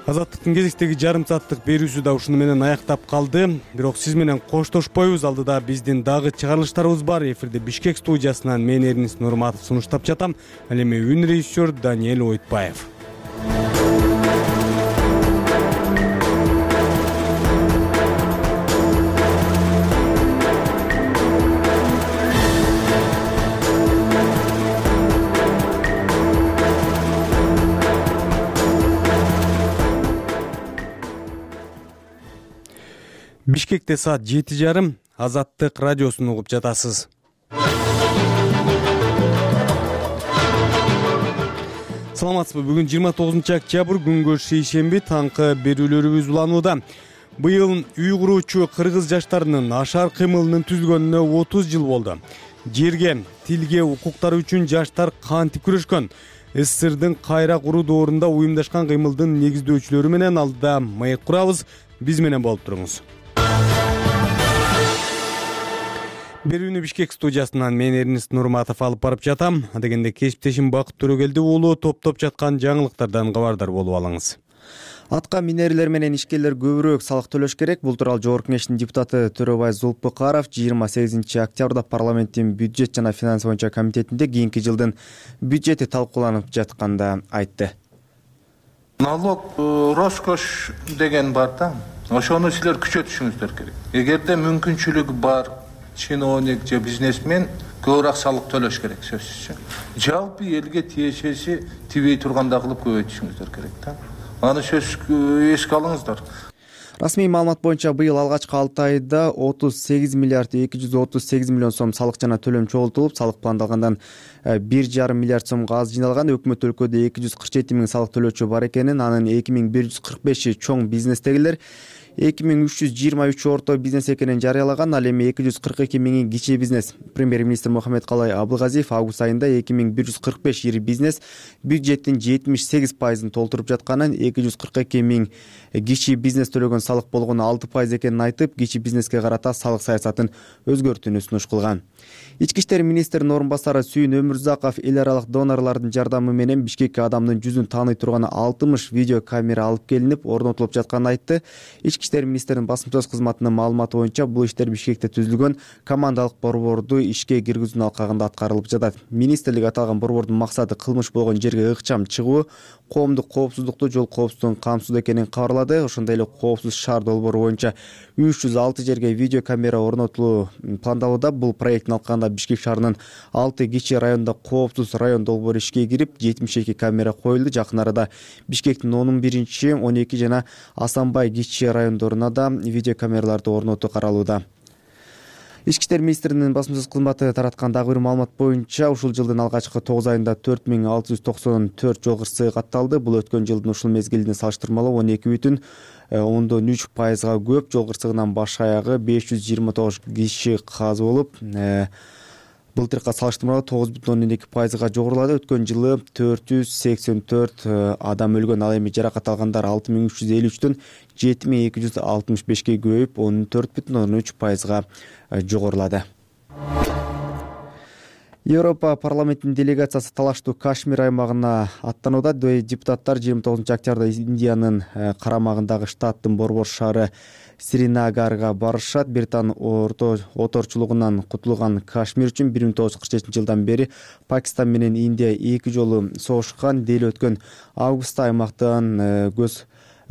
Азаттыктын кезектеги жарым сааттык берүүсү да ушуну менен аяктап калды. Бирок сиз менен коштошпойбуз. Алдыда биздин дагы чыгарылыштарыбыз бар. Эфирде Бишкек студиясынан мен Эрнис Нурматов сунуштап жатам. Ал эми үн режиссер Даниэль Ойтбаев. Бишкекте саат 7:30. Азаттык радиосун угуп жатасыз. Саламатсызбы? Бүгүн 29 октябрь, күнгө шейшемби, таңкы берүүлөрүбүз уланууда. Быйыл үй куруучу кыргыз жаштарынын ашар кыймылынын түзүлгөнүнө 30 жыл болду. Жерге, тилге, укуктары үчүн жаштар кантип күрөшкөн? СССРдин кайра куруу доорунда уюмдашкан кыймылдын негиздөөчүлөрү менен алдыда маек курабыз. Биз менен болуп туруңуз. Берүүнү Бишкек студиясынан мен Эрнест Нурматов алып барып жатам. Адегенде кесиптешим Бакыт Төрөгелди уулу топтоп жаткан жаңылыктардан кабардар болуп алыңыз.
Атка минерилер менен ишкерлер көбүрөөк салык төлөш керек. Бул тууралуу Жогорку Кеңештин депутаты Төрөбай Зулпукаров 28 октябрда парламенттин бюджет жана финанс боюнча комитетинде кийинки жылдын бюджети талкууланып жатканда айтты.
Налог роскош деген бар да. Ошону силер күчөтүшүңүздөр керек. Эгерде мүмкүнчүлүгү бар чиновник же бизнесмен көбүрөөк салык төлөш керек сөзсүз. Жалпы элге тиешеси тибей турганда кылып көбөйтүшүңүздөр керек да. Аны сөз эске алыңыздар.
Расмий маалымат боюнча быйыл алгачкы 6 айда 38 миллиард 238 миллион сом салык жана төлөм чогултулуп, салык пландалгандан 1,5 миллиард сомго аз жыйналган. Өкмөт өлкөдө 247 миң салык төлөөчү бар экенин, анын 2145 чоң бизнестегилер, 2323 орто бизнес экенин жарыялаган. Ал эми 242 миңи кичи бизнес. Премьер-министр Мухаммедкалай Абылгазиев август айында 2145 ири бизнес бюджеттин 78% толтуруп жатканын, 242 миң кичи бизнес төлөгөн салык болгону 6% экенин айтып, кичи бизнеске карата салык саясатын өзгөртүүнү сунуш кылган. Ички иштер министринин орун басары Сүйүн Өмүрзаков эл аралык донорлордун жардамы менен Бишкекке адамдын жүзүн тааный турган 60 видео камера алып келинип, орнотулуп жатканын айтты. Ички иштер министринин басым сөз кызматынын маалыматы боюнча, бул иштер Бишкекте түзүлгөн командалык борборду ишке киргизүүнүн алкагында аткарылып жатат. Министрлик аталган борбордун максаты кылмыш болгон жерге ыкчам чыгуу, коомдук коопсуздукту, жол коопсуздугун камсыздоо экенин кабарлады. Ошондой эле коопсуз шаар долбоору боюнча 306 жерге видео камера орнотулуу пландалууда. Бул проекттин алкагында Бишкек шаарынын 6 кичи районунда коопсуз район долбоору ишке кирип, 72 камера коюлду. Жакын арада Бишкектин 11, 12 жана Асанбай кичи райондоруна да видео камераларды орнотуу каралууда. Ички иштер министринин басым сөз кызматы тараткан дагы бир маалымат боюнча, ушул жылдын алгачкы 9 айында 4694 жол кырсыгы катталды. Бул өткөн жылдын ушул мезгилине салыштырмалуу 12,3%га көп. Жол кырсыгынын баш аягы 529 киши каза болуп, былтыркыга салыштырмалуу 9,2%га жогорулады. Өткөн жылы 484 адам өлгөн. Ал эми жаракат алгандар 6353дөн 7265ге көбөйүп, 14,3%га жогорулады. Европа парламентинин делегациясы талаштуу Кашмир аймагына аттанууда. Депутаттар 29 октябрда Индиянын карамагындагы штаттын борбор шаары Сринагарга барышат. Британ оторчулугунан кутулган Кашмир үчүн 1947 жылдан бери Пакистан менен Индия 2 жолу согушкан. Дел өткөн августта аймактан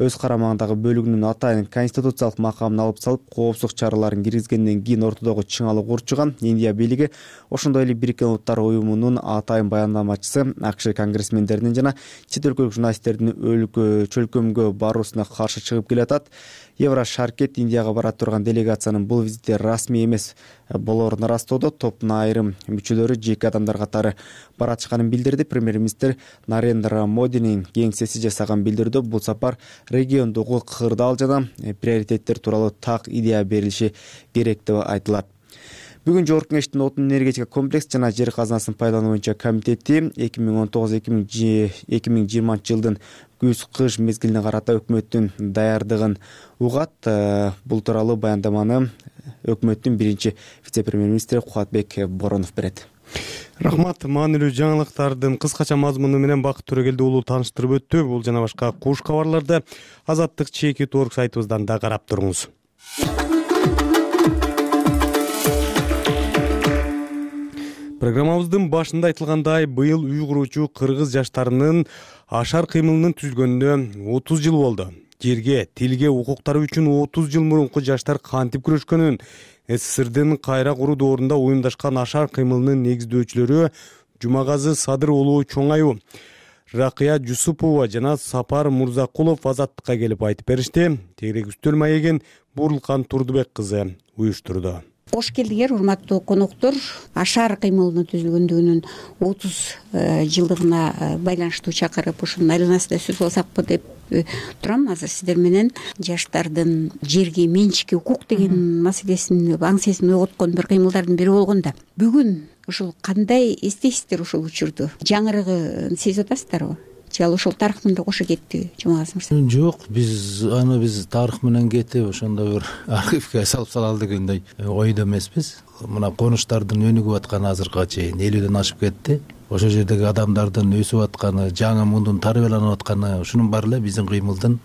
өз карамагындагы бөлүгүнүн атайын конституциялык макамын алып салып, коопсуздук чараларын киргизгенден кийин ортодогу чыңалык урчуган. Индия бийлиги, ошондой эле Бириккен Улуттар уюмунун атайын баяндамачысы АКШ конгрессмендеринин жана чет өлкөлүк журналисттердин чөлкөмгө баруусуна каршы чыгып келатат. Еврошаркет Индияга бара турган делегациянын бул визити расмий эмес болоорун ырастоодо. Топтун айрым мүчөлөрү жеке адамдар катары баратышканын билдирди. Премьер-министр Нарендра Модинин кеңсеси жасаган билдирүүдө бул сапар региондогу кырдаал жана приоритеттер тууралуу так идея берилиши керек деп айтылат. Бүгүн Жогорку Кеңештин отун энергетика комплекс жана жер казынасын пайдалануу боюнча комитети 2019-2020 жылдын күз-кыш мезгилине карата өкмөттүн даярдыгын угат. Бул тууралуу баяндаманы өкмөттүн биринчи вице-премьер-министри Кубатбек Боронов берет.
Рахмат. Маанилүү жаңылыктардын кыскача мазмуну менен Бакыт Төрөгелди уулу тааныштырып өттү. Бул жана башка куш кабарларды Азаттык ЧК.org сайтыбыздан да карап туруңуз. Программабыздын башында айтылгандай, быйыл үй куруучу кыргыз жаштарынын ашар кыймылынын түзүлгөнүнө 30 жыл болду. Жерге, тилге, укуктары үчүн 30 жыл мурунку жаштар кантип күрөшкөнүн, СССРдин кайра куруу доорунда уюмдашкан ашар кыймылынын негиздөөчүлөрү Жумагазы Садыр уулу чоңаюу. Ракыя Жусупова жана Сапар Мурзакулов Азаттыкка келип айтып беришти. Тегерек үстөл маегин Буурулкан Турдубек кызы уюштурду.
Кош келдиңер, урматтуу коноктор. Ашар кыймылынын түзүлгөндүгүнүн 30 жылдыгына байланыштуу чакырып ушунун айланасында сөз кылсакпы деп турам. Азыр сиздер менен жаштардын жерге менчикке укук деген маселесин, аңсесин ойготкон бир кыймылдардын бири болгондо бүгүн ушул кандай эстейсиздер ушул учурду? Жаңырыгын сезип атасыздарбы? Же ал ошол тарых менен кошо кетти, Жумагаз мырза?
Жок, биз тарых менен кетип ошондой бир архивге салып салалы дегендей ойдо эмеспиз. Мына конуштардын өнүгүп атканы азыркыга чейин 50ден ашып кетти. Ошол жердеги адамдардын өсүп атканы, жаңы мундун тарбияланып атканы, ушунун баары эле биздин кыймылдын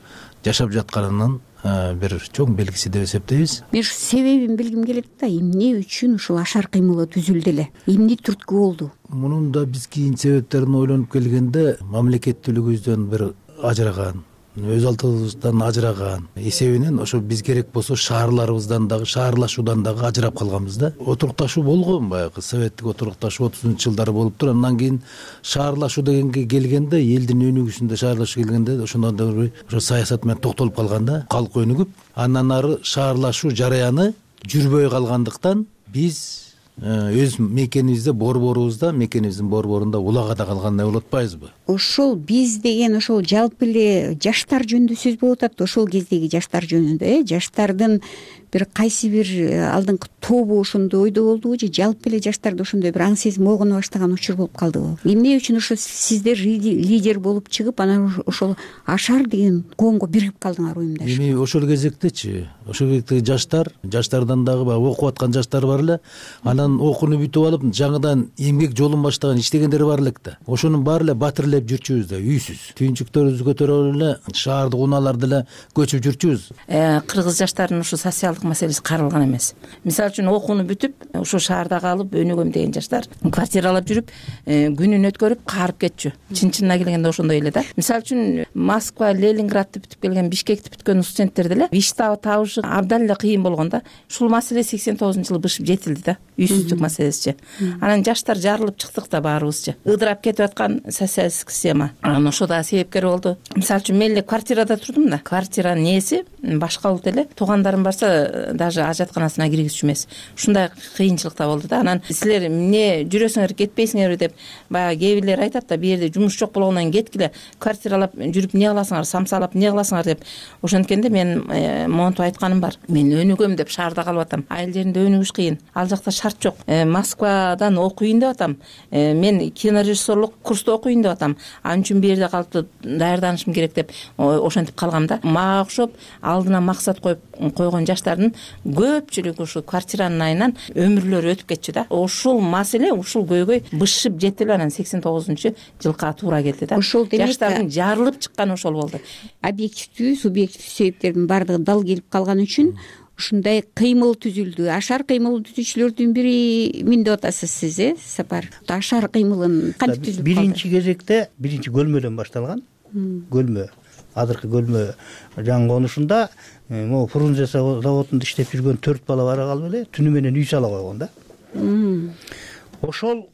жашап жатканынын бир чоң белгиси деп эсептейбиз.
Мен себебин билгим келет да, эмне үчүн ушул ашар кыймылы түзүлдү эле? Эмне түрткү болду?
Мунун да биз кийин себептерин ойлонуп келгенде мамлекеттүүлүгүбүздөн бир ажыраган, өз алдыбыздан ажыраган эсебинен ошо биз керек болсо шаарларыбыздан дагы, шаарлашуудан дагы ажырап калганбыз да. Отурукташуу болгон, баягы советтик отурукташуу 30-жылдары болуптур. Андан кийин шаарлашуу дегенге келгенде, элдин өнүгүшүндө шаарлашуу келгенде ошондон да ошо саясат менен токтолуп калган да, калк өнүгүп, андан ары шаарлашуу жараяны жүрбөй калгандыктан биз өз мекенибизде, мекенибиздин борборунда улагада калган деп атпайбызбы?
Ошол биз деген ошол жалпы эле жаштар жөнүндө сөз болуп атат. Ошол кездеги жаштар жөнүндө, жаштардын бир кайсы бир алдыңкы тобу ошондой ойдо болдубу же жалпы эле жаштарда ошондой бир аң сезим ойгоно баштаган учур болуп калдыбы? Эмне үчүн ошо сиздер лидер болуп чыгып, анан ошол ашар деген коомго биригип калдыңар уюмдаш?
Эми ошол кезектечи, ошол кезектеги жаштардан дагы баягы окуп аткан жаштар бар эле, анан окууну бүтүп алып жаңыдан эмгек жолун баштаган, иштегендер бар элек да. Ошонун баары эле батирлеп жүрчүбүз да, үйсүз. Түйүнчүктөрүбүздү көтөрүп эле шаардык унааларды эле көчүп жүрчүбүз.
Кыргыз жаштарынын ушу социалдык маселеси каралган эмес. Мисалы үчүн окууну бүтүп, ушу шаарда калып өнүгөм деген жаштар квартиралап жүрүп, күнүн өткөрүп каарып кетчү. Чын-чынына келгенде ошондой эле да. Мисалы үчүн Москва, Ленинградты бүтүп келген, Бишкекти бүткөн студенттерди эле иш табышы абдан эле кыйын болгон да. Ушул маселе 89-жылы бышып жетилди да. Үйсүздүк маселесичи. Анан жаштар жарылып чыктык да баарыбызчы. Ыдырап кетип аткан социалисттик система. Анан ошо да себепкер болду. Мисалы үчүн мен эле квартирада турдум да. Квартиранын ээси башка улут эле. Туугандарым барса даже ажатканасына киргизчү эмес. Ушундай кыйынчылыкта болду да. Анан силер эмне жүрөсүңөр, кетпейсиңерби деп баягы кээ бирлер айтат да, бу жерде жумуш жок болгондон кеткиле, квартиралап жүрүп эмне кыласыңар, самсалап эмне кыласыңар деп. Ошонткенде мен монтип айтканым бар. Мен өнүгөм деп шаарда калып атам. Айыл жеринде өнүгүш кыйын. Ал жакта шарт жок. Москвадан окуйын деп атам. Мен кинорежиссерлук курста окуйын деп атам. Ал үчүн бу жерде калып даярданышым керек деп ошентип калгам да. Мага окшоп алдына максат коюп койгон жаштардын көпчүлүгү ушу квартиранын айынан өмүрлөрү өтүп кетчү да. Ушул маселе, ушул көйгөй бышып жетти эле, анан 89-жылга туура келди да.
Ошол демек
жаштардын жарылып чыкканы ошол болду.
Объективдүү, субъективдүү себептердин баардыгы дал келип калган үчүн ушундай кыймыл түзүлдү. Ашар кыймыл түзүүчүлөрдүн бири мен деп атасыз сиз, Сапар. Ашар кыймылын кантип түзүп калды?
Биринчи кезекте биринчи көлмөдөн башталган. Көлмө, азыркы көлмө жаңы конушунда могу Фрунзе заводунда иштеп жүргөн 4 бала бара калып эле түнү менен үй сала койгон да. Ошол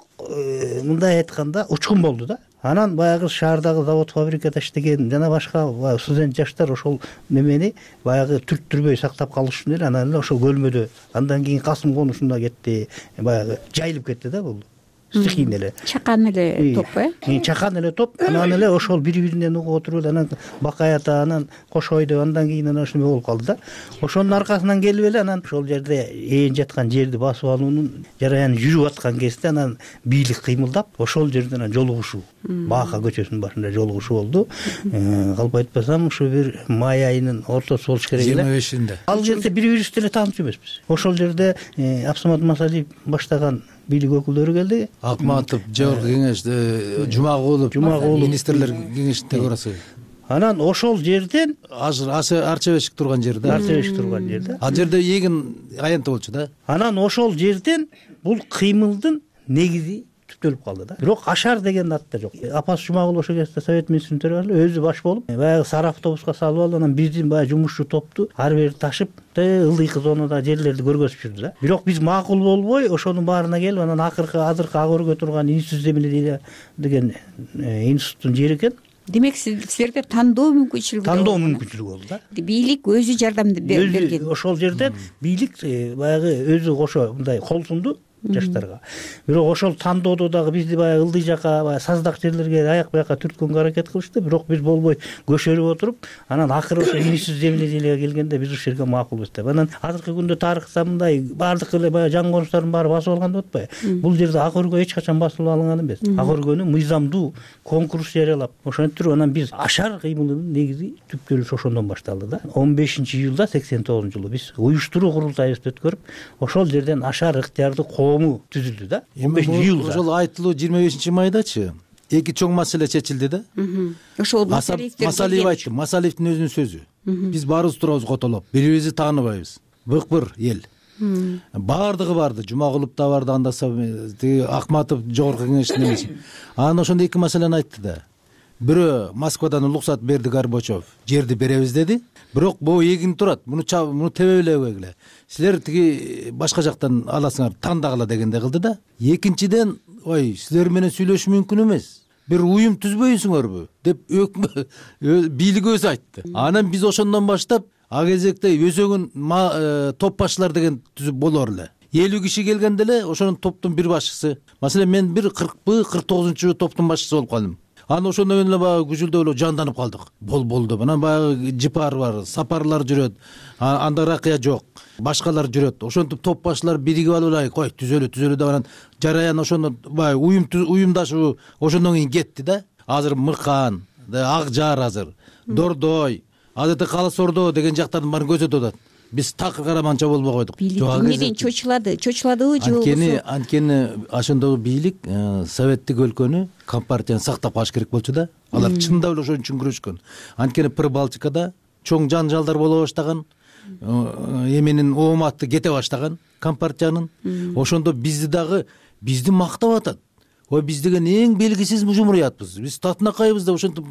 мындай айтканда учкун болду да. Анан баягы шаардагы завод, фабрикада иштеген жана башка студент жаштар ошол немени баягы түрттүрбөй сактап калыш үчүн эле анан эле ошол көлмөдө, андан кийин Касым конушунда кетти, баягы жайылып кетти да бул. Стихийно эле.
Чакан эле топ,
Чакан эле топ. Анан эле ошол бири-биринен угуп отуруп эле анан Бакай ата, анан Кошойдо, андан кийин анан ошондой болуп калды да. Ошонун аркасынан келип эле анан ошол жерде ээн жаткан жерди басып алуунун жараяны жүрүп аткан кезде анан бийлик кыймылдап, ошол жерде анан жолугушуу, Баака көчөсүнүн башында жолугушуу болду. Калп айтпасам, ушу бир май айынын ортосу болуш керек эле.
25-inde.
Ал жерде бири-бирибизди эле таанычу эмеспиз. Ошол жерде Абсамат Масалиев баштаган бийлик өкүлдөрү келди.
Акматов, Жогорку кеңеш, Жумагулов, министрлер кеңешинин тегерасы.
Анан ошол жерден
арча бешик турган жерде.
Арча бешик турган жерде.
Ал жерде эгин аянты болчу да.
Анан ошол жерден бул кыймылдын негизи түптөлүп калды да. Бирок Ашар деген ат да жок. Апасы Жумагул ошол кезде совет министринин төрагасы өзү баш болуп баягы сары автобуска салып алып, анан биздин баягы жумушчу топту ар бери ташып ылдыйкы зонада жерлерди көргөзүп жүрдү да. Бирок биз макул болбой ошонун баарына келип, анан азыркы ак өргө турган институт земледелия деген институттун жери экен.
Демек силерде тандоо мүмкүнчүлүгү болду да. Бийлик өзү жардам берген.
Ошол жерден бийлик баягы өзү кошо мындай кол сунду жаштарга. Бирок ошол тандоодо дагы бизди баягы ылдый жака, баягы саздак жерлерге аяк бияка түрткөнгө аракет кылышты. Бирок биз болбой көшөрүп отуруп, анан акыры ошо институт земледелияга келгенде биз ушул жерге макулбуз деп. Анан азыркы күндө тарыхта мындай баардык эле баягы жан конустардын баары басып алган деп атпайбы? Бул жерде ак өргө эч качан басылып алынган эмес. Ак өргөнү мыйзамдуу конкурс жарыялап, ошентип туруп анан биз Ашар кыймылынын негизи түптөлүшү ошондон башталды да. 15-июлда 89-жылы биз уюштуруу курултайыбызды өткөрүп, ошол жерден Ашар ыктыярдуу түзүлдү да. 15-июлда.
Ошол айтылуу 25-майдачы эки чоң маселе чечилди да.
Ошол
Масалиев айтты. Масалиевдин өзүнүн сөзү. Биз баарыбыз турабыз котолоп, бири-бирибизди тааныбайбыз. Быкбыр эл. Баардыгы барды. Жумагулов да барды, андаса тиги Акматов жогорку кеңештин эмеси. Анан ошондо эки маселени айтты да. Бирөө Москвадан уруксат берди Горбачев, жерди беребиз деди. Бирок могу эгин турат, муну тебе белебегиле. Силер тиги башка жактан аласыңар, тандагыла дегенде кылды да. Экинчиден, ой, силер менен сүйлөшүү мүмкүн эмес. Бир уюм түзбөйсүңөрбү деп бийлик өзү айтты. Анан биз ошондон баштап а кезекте өзөгүн топ башчылар деген түзүп болор эле. 50 киши келгенде эле ошонун топтун бир башчысы. Маселен мен бир 49 топтун башчысы болуп калдым. Анан ошондон кийин эле баягы күжүлдөп эле жанданып калдык. Болду. Анан баягы Жипар бар, Сапарлар жүрөт. Анда Ракыя жок. Башкалар жүрөт. Ошентип топ башчылар биригип алып эле кой түзөлү деп анан жараян ошондо баягы уюмдашуу ошондон кийин кетти да. Азыр Мыкан, Акжар азыр, Дордой, азыркы Калыс Ордо деген жактардын баарын көзөтүп атат. Биз такыр караманча болбой койдук.
Бийлик эмнеден чочуладыбы же
анткени ошондогу бийлик советтик өлкөнү, компартияны сактап калыш керек болчу да. Алар чындап эле ошон үчүн күрөшкөн. Анткени Прибалтикада чоң жанжалдар боло баштаган, эменин ооматы кете баштаган компартиянын. Ошондо бизди мактап атат. Ой, биз деген эң белгисиз жумуриятпыз. Биз татынакайбыз деп ошентип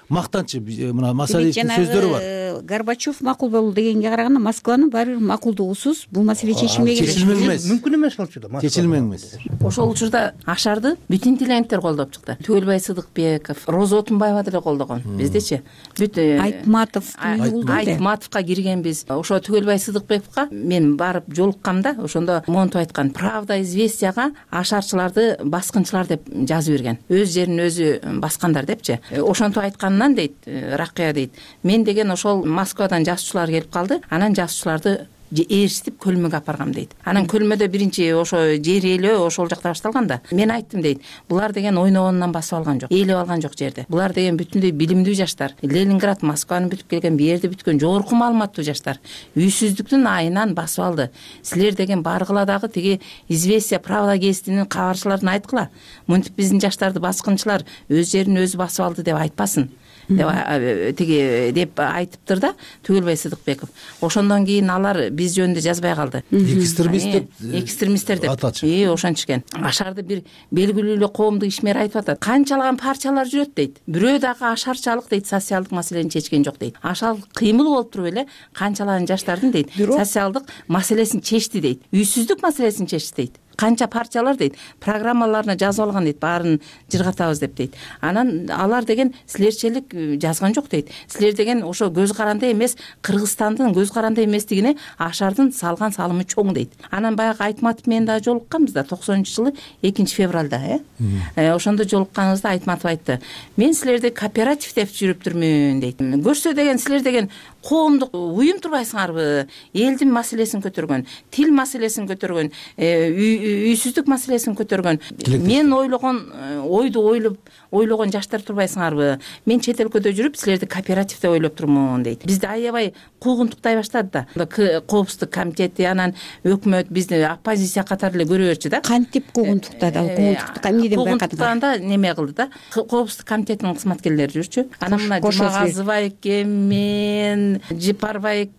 мактанчы мына Масалиевдин сөздөрү бар.
Горбачев макул болду дегенге караганда Москванын баары бир макулдугусуз бул маселе чечилмеген
эмес.
Мүмкүн эмес болчу да.
Чечилмеген эмес.
Ошол учурда Ашарды бүтүн тилендтер колдоп чыкты. Түгөлбай Сыдыкбеков, Роза Отунбаева деле колдогон. Биздечи бүт Айтматовго киргенбиз. Ошо Түгөлбай Сыдыкбековго мен барып жолуккамда ошондо монтип айткан: Правда известияга ашарчыларды баскынчылар деп жазып берген. Өз жерин өзү баскандар депчи. Ошентип айтканынан дейт Ракыя дейт. Мен деген ошол Москвадан жазуучулар келип калды. Анан жазуучуларды ээрчитип көлмөгө апаргам дейт. Анан көлмөдө биринчи ошо жер ээлөө ошол жакта башталган да. Мен айттым дейт. Булар деген ойногонунан басып алган жок, ээлеп алган жок жерди. Булар деген бүтүндөй билимдүү жаштар. Ленинград, Москваны бүтүп келген, бу жерди бүткөн жогорку маалыматтуу жаштар. Үйсүздүктүн айынан басып алды. Силер деген баргыла дагы тиги известия, Правда гезитинин кабарчыларын айткыла. Мынтип биздин жаштарды баскынчылар өз жерин өзү басып алды деп айтпасын деп айтыптыр да Түгөлбай Сыдыкбеков. Ошондон кийин алар биз жөнүндө жазбай калды. Экстремисттер деп ошентишкен. Ашарды бир белгилүү эле коомдук ишмер айтып атат. Канчалаган парчалар жүрөт дейт. Бирөө дагы ашарчалык дейт, социалдык маселени чечкен жок дейт. Ашал кыймыл болуп туруп эле канчалаган жаштардын дейт социалдык маселесин чечти дейт. Үйсүздүк маселесин чечти дейт. Канча парчалар дейт, программаларына жазып алган дейт, баарын жыргатабыз деп дейт. Анан алар деген силерчелик жазган жок дейт. Силер деген ошо көз каранды эмес, Кыргызстандын көз каранды эместигине Ашардын салган салымы чоң дейт. Анан баягы Айтматов менен дагы жолукканбыз да 90-жылы 2-февралда, ошондо жолукканыбызда Айтматов айтты: "Мен силерди кооператив деп жүрүптүрмүн" дейт. Көрсө деген силер деген коомдук уюм турбайсыңарбы? Элдин маселесин көтөргөн, тил маселесин көтөргөн, үйсүздүк маселесин көтөргөн. Мен ойду ойлогон жаштар турбайсыңарбы? Мен чет өлкөдө жүрүп, силерди кооператив деп ойлоп турмун дейт. Бизди аябай куугунтуктай баштады да. Коопсуздук комитети, анан өкмөт бизди оппозиция катары эле көрө берчү да.
Кантип куугунтуктады? Эмнеден
куугунтуктаганда неме кылды да. Коопсуздук комитетинин кызматкерлери жүрчү. Анан мына Жумагазова экен, мен менен жипарбай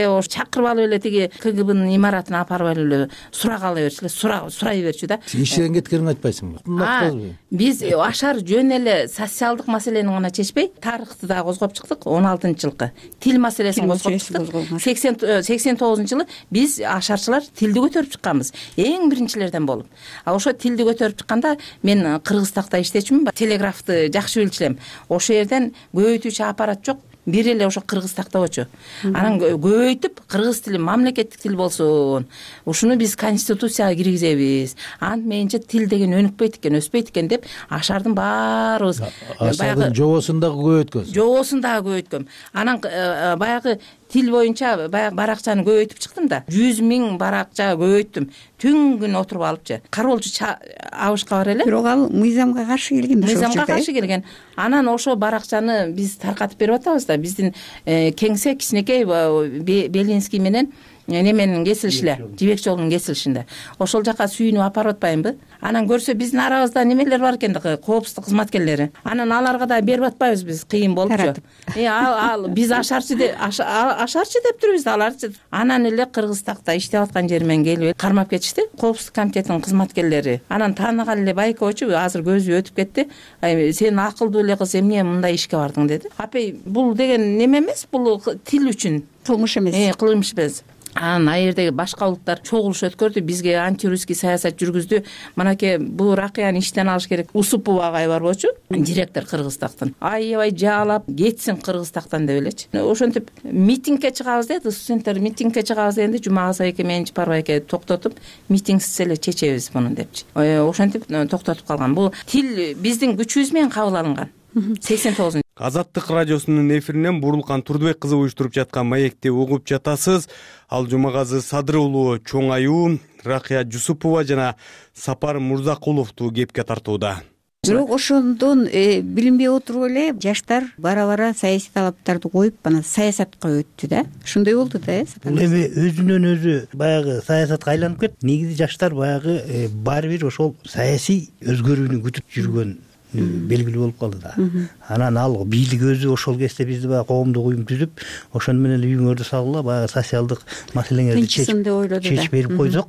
ош чакырып алып эле тиги КГБнын имаратына апарып алып эле сурак ала берчү эле, сурай берчү да.
Сен иштен кеткениңди айтпайсыңбы?
Биз ашар жөн эле социалдык маселени гана чечпей, тарыхты да козгоп чыктык. 16-жылкы тил маселесин козгоп чыктык. 89-жылы биз ашарчылар тилди көтөрүп чыкканбыз, эң биринчилерден болуп. Ошо тилди көтөрүп чыкканда мен Кыргызстакта иштечүмүн, телеграфты жакшы билчү элем. Ошо жерден көбөйтүүчү аппарат жок, бир эле ошо Кыргызстакта болчу. Анан көбөйтүп кыргыз тили мамлекеттик тил болсун, ушуну биз конституцияга киргизебиз, антменче тил деген өнүкпөйт экен, өспөйт экен деп ашардын баарыбыз
баягы жобосун дагы
көбөйткөм. Анан баягы тил боюнча баягы баракчаны көбөйтүп чыктым да, 100 000 баракча көбөйттүм. Түн күн отуруп алыпчы. Кароолчу абышка бар эле.
Бирок ал мыйзамга каршы келген.
Мыйзамга каршы келген. Анан ошо баракчаны биз таркатып берип атабыз да. Биздин кеңсе кичинекей Белинский менен неменин кесилишиле, жибек жолунун кесилишинде. Ошол жака сүйүнүп апарып атпайбы? Анан көрсө биздин арабызда немелер бар экен да, коопсуздук кызматкерлери. Анан аларга да берип атпайбыз биз, кыйын болупчу. Ал биз ашарчы деп турбуз да, аларчы. Анан эле Кыргызстакта иштеп аткан жеримен келип кармап кетишти, коопсуздук комитетинин кызматкерлери. анан тааныган эле байкоочу азыр көзү өтүп кетти. Сен акылдуу эле кыз, эмне мындай ишке бардың деди. Апей, бул деген неме эмес, бул тил үчүн
кылмыш эмес.
Кылмыш эмес. Анан айердеги башка улуттар чогулуш өткөрдү, бизге антирусский саясат жүргүздү. Манаке бул Ракыяны иштен алыш керек. Усупова агай бар болчу, директор Кыргызстактан. Аябай жаалап кетсин Кыргызстактан деп элечи. Ошентип митингге чыгабыз деди, студенттер митингге чыгабыз дегенде Жумагаза эке менен Жипарбай эке токтотуп, митингсиз эле чечебиз муну депчи. Ошентип токтотуп калган. Бул тил биздин күчүбүз менен кабыл алынган. 89.
Азаттык радиосунун эфиринен Бурулкан Турдубек кызы уюштуруп жаткан маекти угуп жатасыз. Ал Жумагазы Садыр уулу чоң аюу, Ракыя Жусупова жана Сапар Мурзакуловду кепке тартууда.
Бирок ошондон билинбей отуруп эле жаштар бара саясий талаптарды коюп, анан саясатка өттү да. Ошондой болду да,
Бул эми өзүнөн өзү баягы саясатка айланып кетти. Негизи жаштар баягы баары бир ошол саясий өзгөрүүнү күтүп жүргөн белгилүү болуп калды да. Анан ал бийлик өзү ошол кезде бизди баягы коомдук уюм түзүп, ошону менен үйүңөрдү салгыла, баягы социалдык маселеңерди чечип берип койсок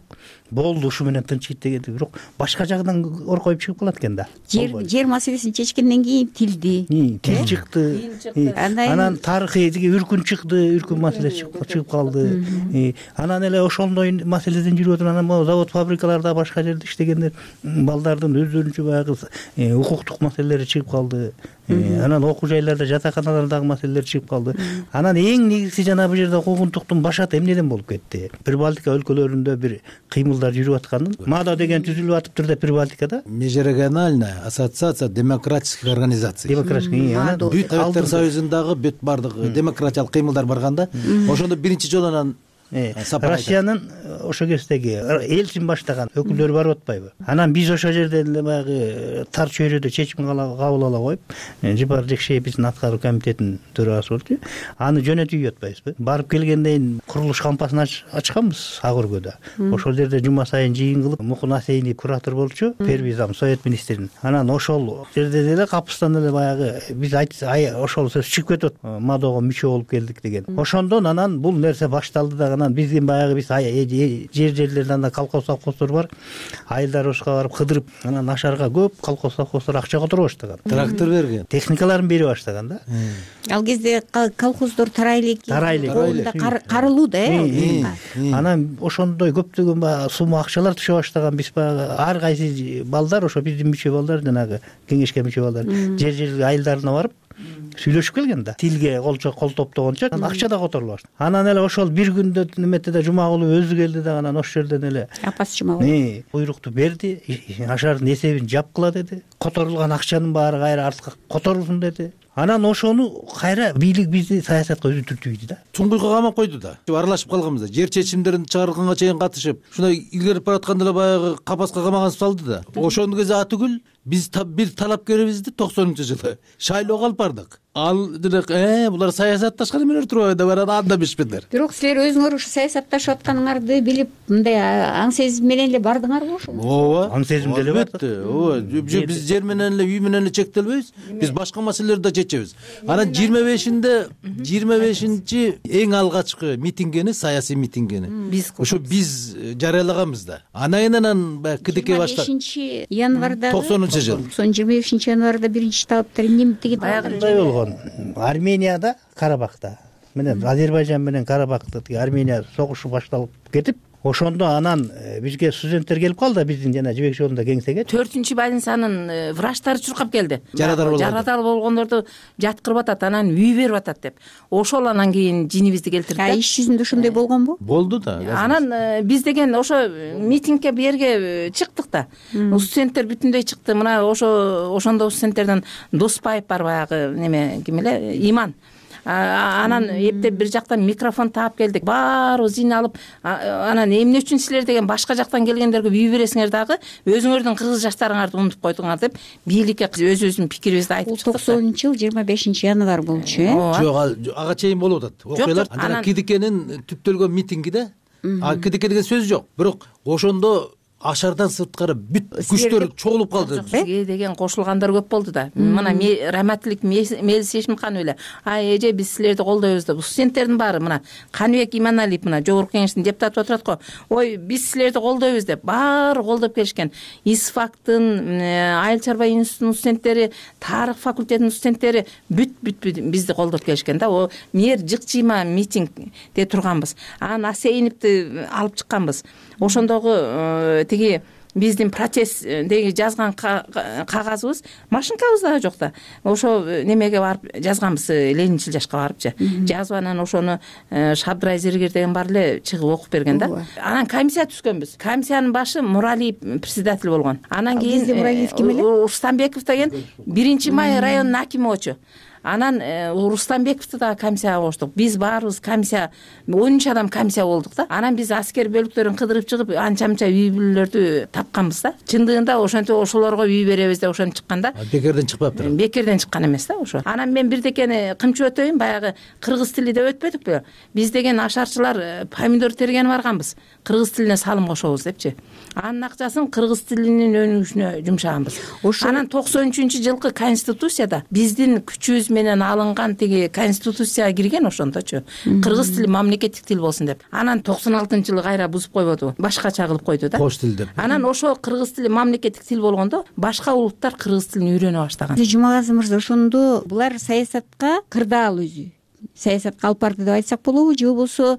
болду, ушу менен тынчыйт дегенди. Бирок башка жагынан оркоюп чыгып калат экен да.
Жер маселесин чечкенден кийин
тил чыкты. Анан тарыхый үркүн чыкты, үркүн маселеси чыгып калды. Анан эле ошондой маселеден жүрүп отуруп, анан могу завод фабрикаларда башка жерде иштегендер балдардын өздөрүнчө баягы укуктук маселелери чыгып калды. Анан окуу жайларда, жатаканалардагы маселелер чыгып калды. Анан эң негизги жана бул жерде куугунтуктун башаты эмнеден болуп кетти? Прибалтика өлкөлөрүндө бир кыймылдар жүрүп атканын, МАДО деген түзүлүп атыптыр да Прибалтикада.
Межрегиональная ассоциация демократических организаций. Бүт Советтер Союзундагы бүт бардык демократиялык кыймылдар барганда, ошондо биринчи жолу анан Россиянын ошо кездеги элчин баштаган өкүлдөрү барып атпайбы? Анан биз ошол жерден эле баягы тар чөйрөдө чечим кабыл ала коюп, Жипар Жекшеев биздин аткаруу комитетинин төрагасы болчу. Аны жөнөтүп атпайбызбы? Барып келгенден кийин курулуш кампасын ачканбыз Ак Өргөдө. Ошол жерде жума сайын жыйын кылып, Мукун Асейинов куратор болчу, Первизам Совет министринин. Анан ошол жерде деле капыстан эле баягы биз ошол сөз чыгып кетип атат, МАДОго мүчө болуп келдик деген. Ошондон анан бул нерсе башталды да. Анан биздин баягы жерлерде анда колхоз совхоздор бар. Айылдарыбызга барып кыдырып, анан ашарга көп колхоз совхоздор акча которо баштаган. Трактор берген.
Техникаларын бере баштаган да.
Ал кезде колхоздор тарайлык карылуу да.
Анан ошондой көптөгөн сумма акчалар түшө баштаган. Биз баягы ар кайсы балдар, ошо биздин мүчө балдар, жанагы кеңешке мүчө балдар жер айылдарына барып сүйлөшүп келген да. Тилге кол топтогончо акча да которула баштады. Анан эле ошол бир күндө неметте да Жумагулов өзү келди да, анан ошол жерден эле
апасы Жумагулов
буйрукту берди, ашардын эсебин жапкыла деди. Которулган акчанын баары кайра артка которулсун деди. Анан ошону кайра бийлик бизди саясатка өзү түртүйдү да.
Туңгуйга камап койду да. Аралашып калганбыз да. Жер чечимдерин чыгарганга чейин катышып, ушундай илгерип баратканда эле баягы капаска камаган салды да. Ошондо кезде атүгүл биз бир талапкерибизди 90-жылы шайлоого алып бардык. Ал булар саясатташкан эмелер турбайбы деп анан анда бишпедер.
Бирок силер өзүңөр ушу саясатташып атканыңарды билип мындай аң сезим менен эле бардыңарбы ошо?
Ооба,
аң сезимде эле
албетте. Ооба, биз жер менен эле, үй менен эле чектелбейбиз. Биз башка маселелерди да чечебиз. Анан 25-чи эң алгачкы митингени, саясий митингени ошо биз жарыялаганбыз да. Анан баягы КДК башта
25 январда
90-жыл.
25 январда биринчи талаптар эмне
баягындай болгон. Арменияда, Карабахта менен Азербайжан менен Карабахта Армения согушу башталып кетип, ошондо анан бизге студенттер келип калды, биздин жана жибек жолунда кеңсеге.
4-чү больницанын врачтары чуркап келди.
Жарадар
болгондорду жаткырып атат, анан үй берип атат деп. Ошол анан кийин жинибизди келтирди.
Иш жүзүндө ошондой болгонбу?
Болду да.
Анан биз деген ошо митингге бу жерге чыктык да. Студенттер бүтүндөй чыкты. Мына ошондо студенттерден Доспаев бар, баягы неме ким эле, Иман. Анан эптеп бир жактан микрофон таап келдик. Баарыбыз жыйналып, анан эмне үчүн силер деген башка жактан келгендерге үй бересиңер дагы, өзүңөрдүн кыргыз жаштарыңарды унутуп койдуңар деп бийликке өзүбүздүн пикирибизди айтып чыктык.
90-жыл 25 январь болчу,
Жок, ага чейин болуп атат. Окуялар анан КДКнин түптөлгөн митингиде, КДК деген сөз жок. Бирок ошондо ашардан сырткары бүт күчтөр чогулуп калды.
Бизге деген кошулгандар көп болду да. Мына Раматилик Мелис Ешимхан эле, эже биз силерди колдойбуз деп. Студенттердин баары мына Каныбек Иманалиев мына жогорку кеңештин депутаты отурат го. Ой, биз силерди колдойбуз деп баары колдоп келишкен. ИСФАКтын, Айыл чарба институтунун студенттери, тарых факультетинин студенттери бүт бизди колдоп келишкен да. О мэр жыкчыйма митингде турганбыз. Анан Асейиновди алып чыкканбыз. Ошондогу тиги биздин протесттеги жазган кагазыбыз машинкабыз дагы жок да. Ошо немеге барып жазганбыз, Ленинчил жашка барыпчы. Жазып анан ошону Шабдрай Зергер деген бар эле чыгып окуп берген да. Анан комиссия түзгөнбүз. Комиссиянын башы Муралиев председатель болгон. Анан кийин
Муралиев ким эле?
Рустамбеков деген 1-май районунун акими болчу. Анан Рустамбековду да комиссияга коштук. Биз баарыбыз комиссия, 13 адам комиссия болдук да. Анан биз аскер бөлүктөрүн кыдырып чыгып, анча-мынча үй бүлөлөрдү тапканбыз да. Чындыгында ошентип ошолорго үй беребиз деп ошентип чыкканда.
Бекерден чыкпаптыр.
Бекерден чыккан эмес да ошо. Анан мен бирдекени кымчып өтөйүн, баягы кыргыз тили деп өтпөдүкпү? Биз деген ашарчылар помидор тергени барганбыз. Кыргыз тилине салым кошобуз депчи. Анын акчасын кыргыз тилинин өнүгүшүнө жумшаганбыз. Анан 93-жылкы конституцияда биздин күчүбүз менен алынган тиги конституцияга кирген ошондочу. Кыргыз тили мамлекеттик тил болсун деп. Анан 96-жылы кайра бузуп койбоду, башкача кылып койду да.
Кош тил деп.
Анан ошо кыргыз тили мамлекеттик тил болгондо башка улуттар кыргыз тилин үйрөнө баштаган.
Жумагазы мырза, ошондо булар саясатка кырдаал өзү саясатка алып барды деп айтсак болобу, же болбосо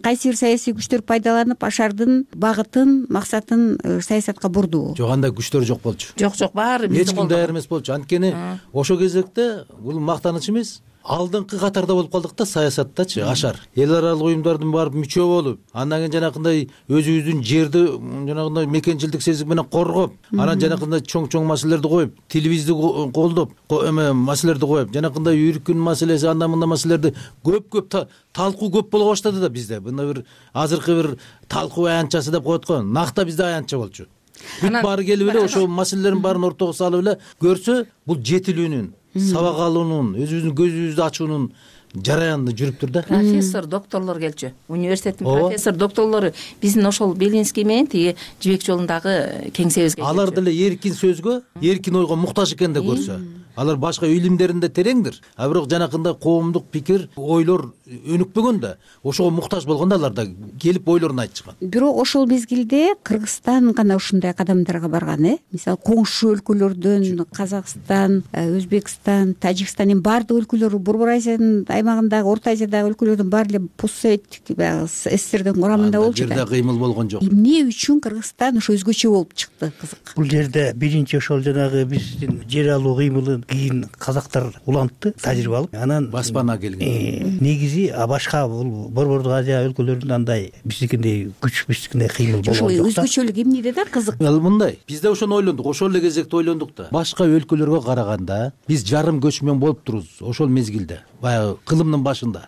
кайсы бир саясий күчтөр пайдаланып ашардын багытын, максатын саясатка бурдубу?
Жок, андай күчтөр жок болчу.
Жок, баары бизди
эч ким даяр эмес болчу. Анткени ошо кезекте бул мактаныч эмес, алдыңкы катарда болуп калдык да саясаттачы, ашар. Эл аралык уюмдардын барып мүчө болуп, андан кийин жанакындай өзүбүздүн жерди жанагындай мекенчилдик сезим менен коргоп, анан жанакындай чоң маселелерди коюп, тилибизди колдоп, маселелерди коюп, жанакындай үркүн маселеси, анда мында маселелерди көп талкуу көп боло баштады да bizde. Мында бир азыркы бир талкуу аянтчасы деп коет го. Накта бизде аянтча болчу. Бүт баары келип эле ошо маселелерин баарын ортого салып эле көрсө, бул жетилүүнүн, сабак алуунун, өзүбүздүн көзүбүздү ачуунун жараянында жүрүптүр да.
Профессор, докторлор келчү. Университеттин профессор, докторлору биздин ошол Белинский менен тиги жибек жолундагы кеңсебизге.
Алар деле эркин сөзгө, эркин ойго муктаж экен да көрсө. Алар башка илимдеринде тереңдир. А бирок жанакындай коомдук пикир, ойлор өнүкпөгөн да. Ошого муктаж болгондо алар да келип ойлорун айтышкан.
Бирок ошол мезгилде Кыргызстан гана ушундай кадамдарга барган, Мисалы, коңшу өлкөлөрдөн Казакстан, Өзбекстан, Тажикстан, баардык өлкөлөр, Борбор Азиянын аймагындагы, Орто Азиядагы өлкөлөрдүн баары эле постсоветтик СССРдин курамында болчу да.
Жерде кыймыл болгон жок.
Эмне үчүн Кыргызстан ошо өзгөчө болуп чыкты, кызык.
Бул жерде биринчи ошол жанагы биздин жер алуу кыймылын кийин казактар улантты, тажрыйба алып. Анан
баспана келген.
Негизи башка бул Борбордук Азия өлкөлөрүндө андай биздикиндей күч, биздикиндей кыймыл болгон жок.
Өзгөчөлүк эмнеде да, кызык?
Мындай, бизде ошону ойлондук, ошол эле кезекте ойлондук да. Башка өлкөлөргө караганда биз жарым көчмөн болуп турубуз ошол мезгилде. Баягы кылымдын башында.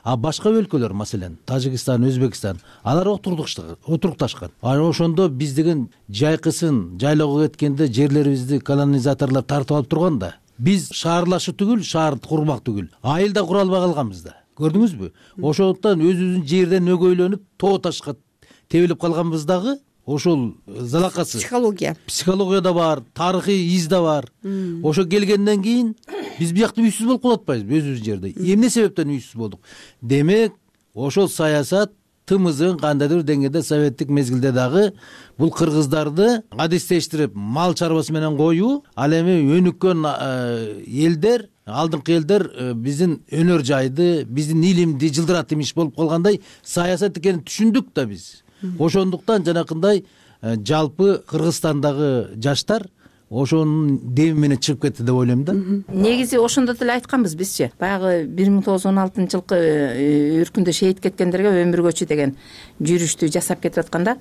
А башка өлкөлөр, маселен Тажикстан, Өзбекстан, алар отурукташкан. Ошондо биз деген жайкысын жайлоого кеткенде жерлерибизди колонизаторлор тартып алып турганда, биз шаарлашуу түгүл, шаар курмак түгүл, айыл да кура албай калганбыз да. Көрдүңүзбү? Ошондуктан өзүбүздүн жерден өгөйлөнүп, тоо ташка тебилип калганбыз дагы. Ошол залакасы психология да бар, тарыхый из да бар. Ошо келгенден кийин биз биякта үйсүз болуп калып атпайбызбы өзүбүздүн жерде? Эмне себептен үйсүз болдук? Демек, ошол саясат тымызын кандайдыр деңгээлде советтик мезгилде дагы бул кыргыздарды адистештирип мал чарбасы менен коюу, ал эми өнүккөн элдер, алдыңкы элдер биздин өнөр жайды, биздин илимди жылдыратып иш болуп калгандай саясат экенин түшүндүк да биз. Ошондуктан жанакындай жалпы Кыргызстандагы жаштар ошонун деми менен чыгып кетти деп ойлойм да.
Негизи ошондо деле айтканбыз бизчи. Баягы 1916-жылкы үркүндө шейит кеткендерге өмүр көчү деген жүрүштү жасап кетип атканда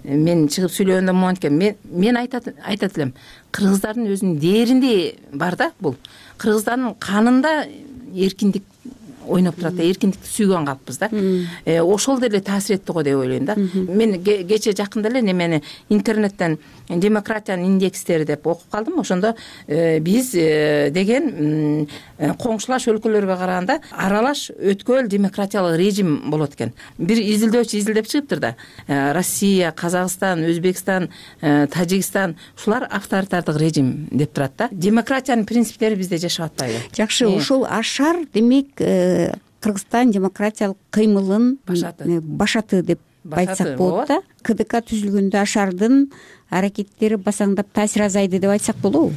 мен чыгып сүйлөгөндө момент экен. Мен айтат элем, кыргыздардын өзүнүн дээринде бар да бул. Кыргыздардын канында эркиндик ойноп турат да, эркиндикти сүйгөн калппыз да. Ошол деле таасир этти го деп ойлойм да. Мен кече жакында эле немени интернеттен демократиянын индекстери деп окуп калдым. Ошондо биз деген коңшулаш өлкөлөргө караганда аралаш өткөл демократиялык режим болот экен. Бир изилдөөчү изилдеп чыгыптыр да. Россия, Казакстан, Өзбекстан, Тажикстан ушулар авторитардык режим деп турат да. Демократиянын принциптери бизде жашап атпайбы?
Жакшы, ушул ашар демек Кыргызстан демократиялык кыймылын башаты деп айтсак болот да. КДК түзүлгөндө ашардын аракеттери басаңдап таасир азайды деп айтсак болобу?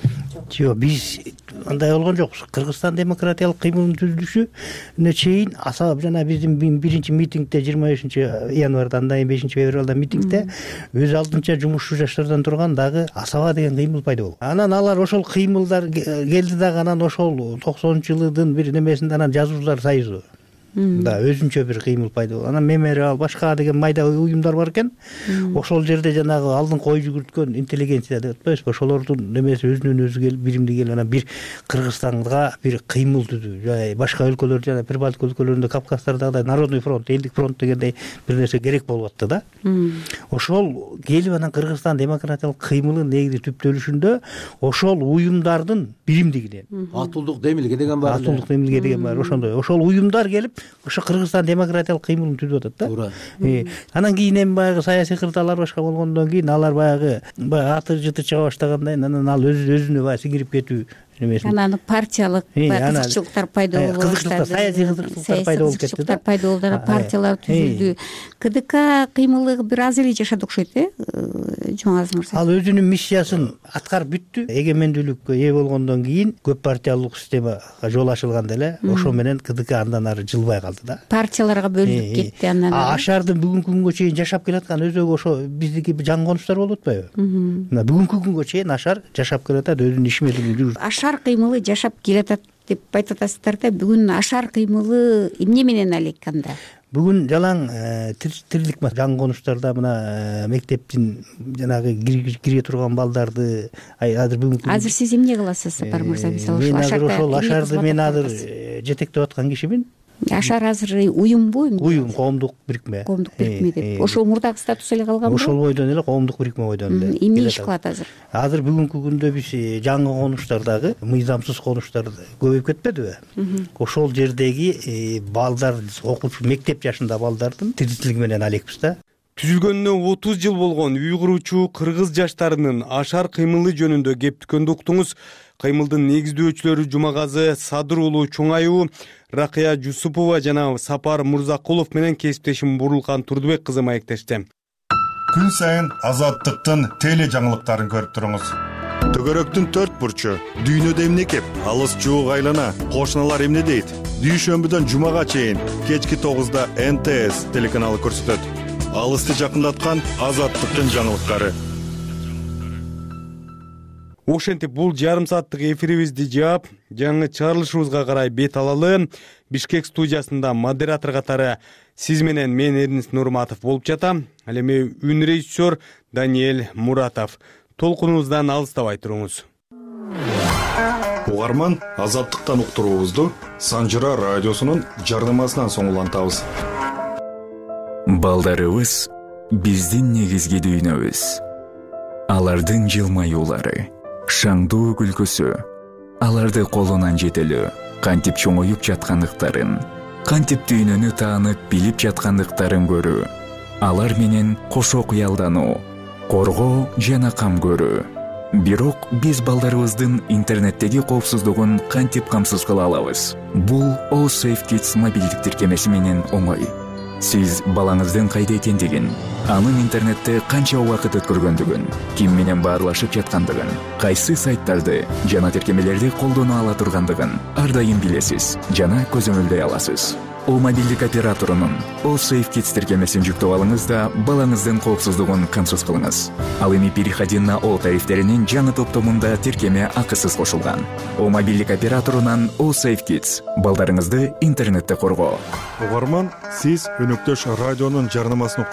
Жок, биз андай болгон жокпуз. Кыргызстан демократиялык кыймылынын түзүлүшүнө чейин асабап жана биздин биринчи митингде 25-январда, андан кийин 5-февралда митингде өз алдынча жумушчу жаштардан турган дагы асаба деген кыймыл пайда болду. Анан алар ошол кыймылдар келди дагы, анан ошол 90-жылдын бир немесинде анан жазуучулар союзу да өзүнчө бир кыймыл пайда болду. Анан мемориал, башка деген майда уюмдар бар экен. Ошол жерде жанагы алдыңкы ой жүгүрткөн интеллигенция деп атпайбызбы? Ошолордун немеси өзүнөн өзү келип, биримди келип анан бир Кыргызстанга бир кыймыл түзүү. Башка өлкөлөр жана Прибалтика өлкөлөрүндө, Кавказдардагыдай Народный фронт, элдик фронт дегендей бир нерсе керек болуп атты да. Ошол келип анан Кыргызстан демократиялык кыймылын негизи түптөлүшүндө ошол уюмдардын биримдигинен
Атуулдук демилге деген бар.
Атуулдук демилге деген бар. Ошондой. Ошол уюмдар келип ошо Кыргызстан демократиялык кыймылын түзүп атат да. Туура. Анан кийин эми баягы саясий кырдаалар башка болгондон кийин алар баягы аты жыты чыга баштагандай анан ал өзүнө баягы сиңирип кетүү немесин.
Анан партиялык кызыкчылыктар пайда болуп баштады.
Саясий кызыкчылыктар пайда болуп кетти да.
Пайда болду, анан партиялар түзүлдү. КДК кыймылы бир аз эле жашады окшойт, Жумагазы мырза.
Ал өзүнүн миссиясын аткарып бүттү. Эгемендүүлүккө ээ болгондон кийин көп партиялык системага жол ачылганда эле ошо менен КДК андан ары жылбай калды да.
Партияларга бөлүнүп кетти андан.
Ашардын бүгүнкү күнгө чейин жашап келаткан өзөгү ошо биздики жаңы конуштар болуп атпайбы? Бүгүнкү күнгө чейин Ашар жашап келатат, өзүнүн иш менен жүрүп.
Ашар кыймылы жашап келатат деп айтып атасыздар да. Бүгүн Ашар кыймылы эмне менен алек анда?
Бүгүн жалаң тирилик жаңы конуштарда мына мектептин жанагы кире турган балдарды азыр бүгүнкү
азыр сиз эмне кыласыз, Сапар мырза? Мисалы
ошол Ашарды мен азыр жетектеп аткан кишимин.
Ашар азыр уюмбу?
Уюм, коомдук бирикме.
Коомдук бирикме деп. Ошол мурдагы статус эле калганбы?
Ошол бойдон эле коомдук бирикме бойдон эле.
Эмне иш кылат азыр?
Азыр бүгүнкү күндө биз жаңы конуштардагы мыйзамсыз конуштар көбөйүп кетпедиби? Ошол жердеги балдар, окуучу мектеп жашында балдардын тиричилиги менен алекпиз да.
Түзүлгөнүнө 30 жыл болгон үй куруучу кыргыз жаштарынын Ашар кыймылы жөнүндө кеп түкөндү уктуңуз. Кыймылдын негиздөөчүлөрү Жумагазы Садыр уулу Чоңайуу, Ракыя Жусупова жана Сапар Мурзакулов менен кесиптешим Бурулкан Турдубек кызы маектешти.
Күн сайын Азаттыктын теле жаңылыктарын көрүп туруңуз. Төгөрөктүн 4 бурчу, дүйнөдө эмне кеп, алыс жуук айлана, кошуналар эмне дейт? Дүйшөмбүдөн жумага чейин кечки 9-да НТС телеканалы көрсөтөт. Алысты жакындаткан Азаттыктын жаңылыктары.
Ошентип бул жарым сааттык эфирибизди жаап, жаңы чыгарылышыбызга карай бет алалы. Бишкек студиясында модератор катары сиз менен мен Эрнис Нурматов болуп жатам. Ал эми үн режиссер Даниэль Муратов. Толкунубуздан алыстабай туруңуз.
угарман, Азаттыктан уктуруубузду Санжыра радиосунун жарнамасынан соң улантабыз.
Балдарыбыз биздин негизги дүйнөбүз. Алардын жылмаюулары, шаңдуу күлкүсү, аларды колунан жетелөө, кантип чоңоюп жаткандыктарын, кантип дүйнөнү таанып билип жаткандыктарын көрүү, алар менен кошо кыялдануу, коргоо жана кам көрүү. Бирок биз балдарыбыздын интернеттеги коопсуздугун кантип камсыз кыла алабыз? Бул OSafeKids мобилдик тиркемеси менен оңой. Сиз балаңыздын кайда экендигин, анын интернетте канча убакыт өткөргөндүгүн, ким менен баарлашып жаткандыгын, кайсы сайттарды жана тиркемелерди колдоно ала тургандыгын ар дайым билесиз жана көзөмөлдөй аласыз. О мобилдик операторунун OSafeKids тиркемесин жүктөп алыңыз да балаңыздын коопсуздугун камсыз кылыңыз. Ал эми переходи на О тарифтеринин жаңы топтомунда тиркеме акысыз кошулган. О мобилдик операторунан OSafeKids балдарыңызды интернетте коргоо.
Угарман, сиз өнөктөш радионун жарнамасын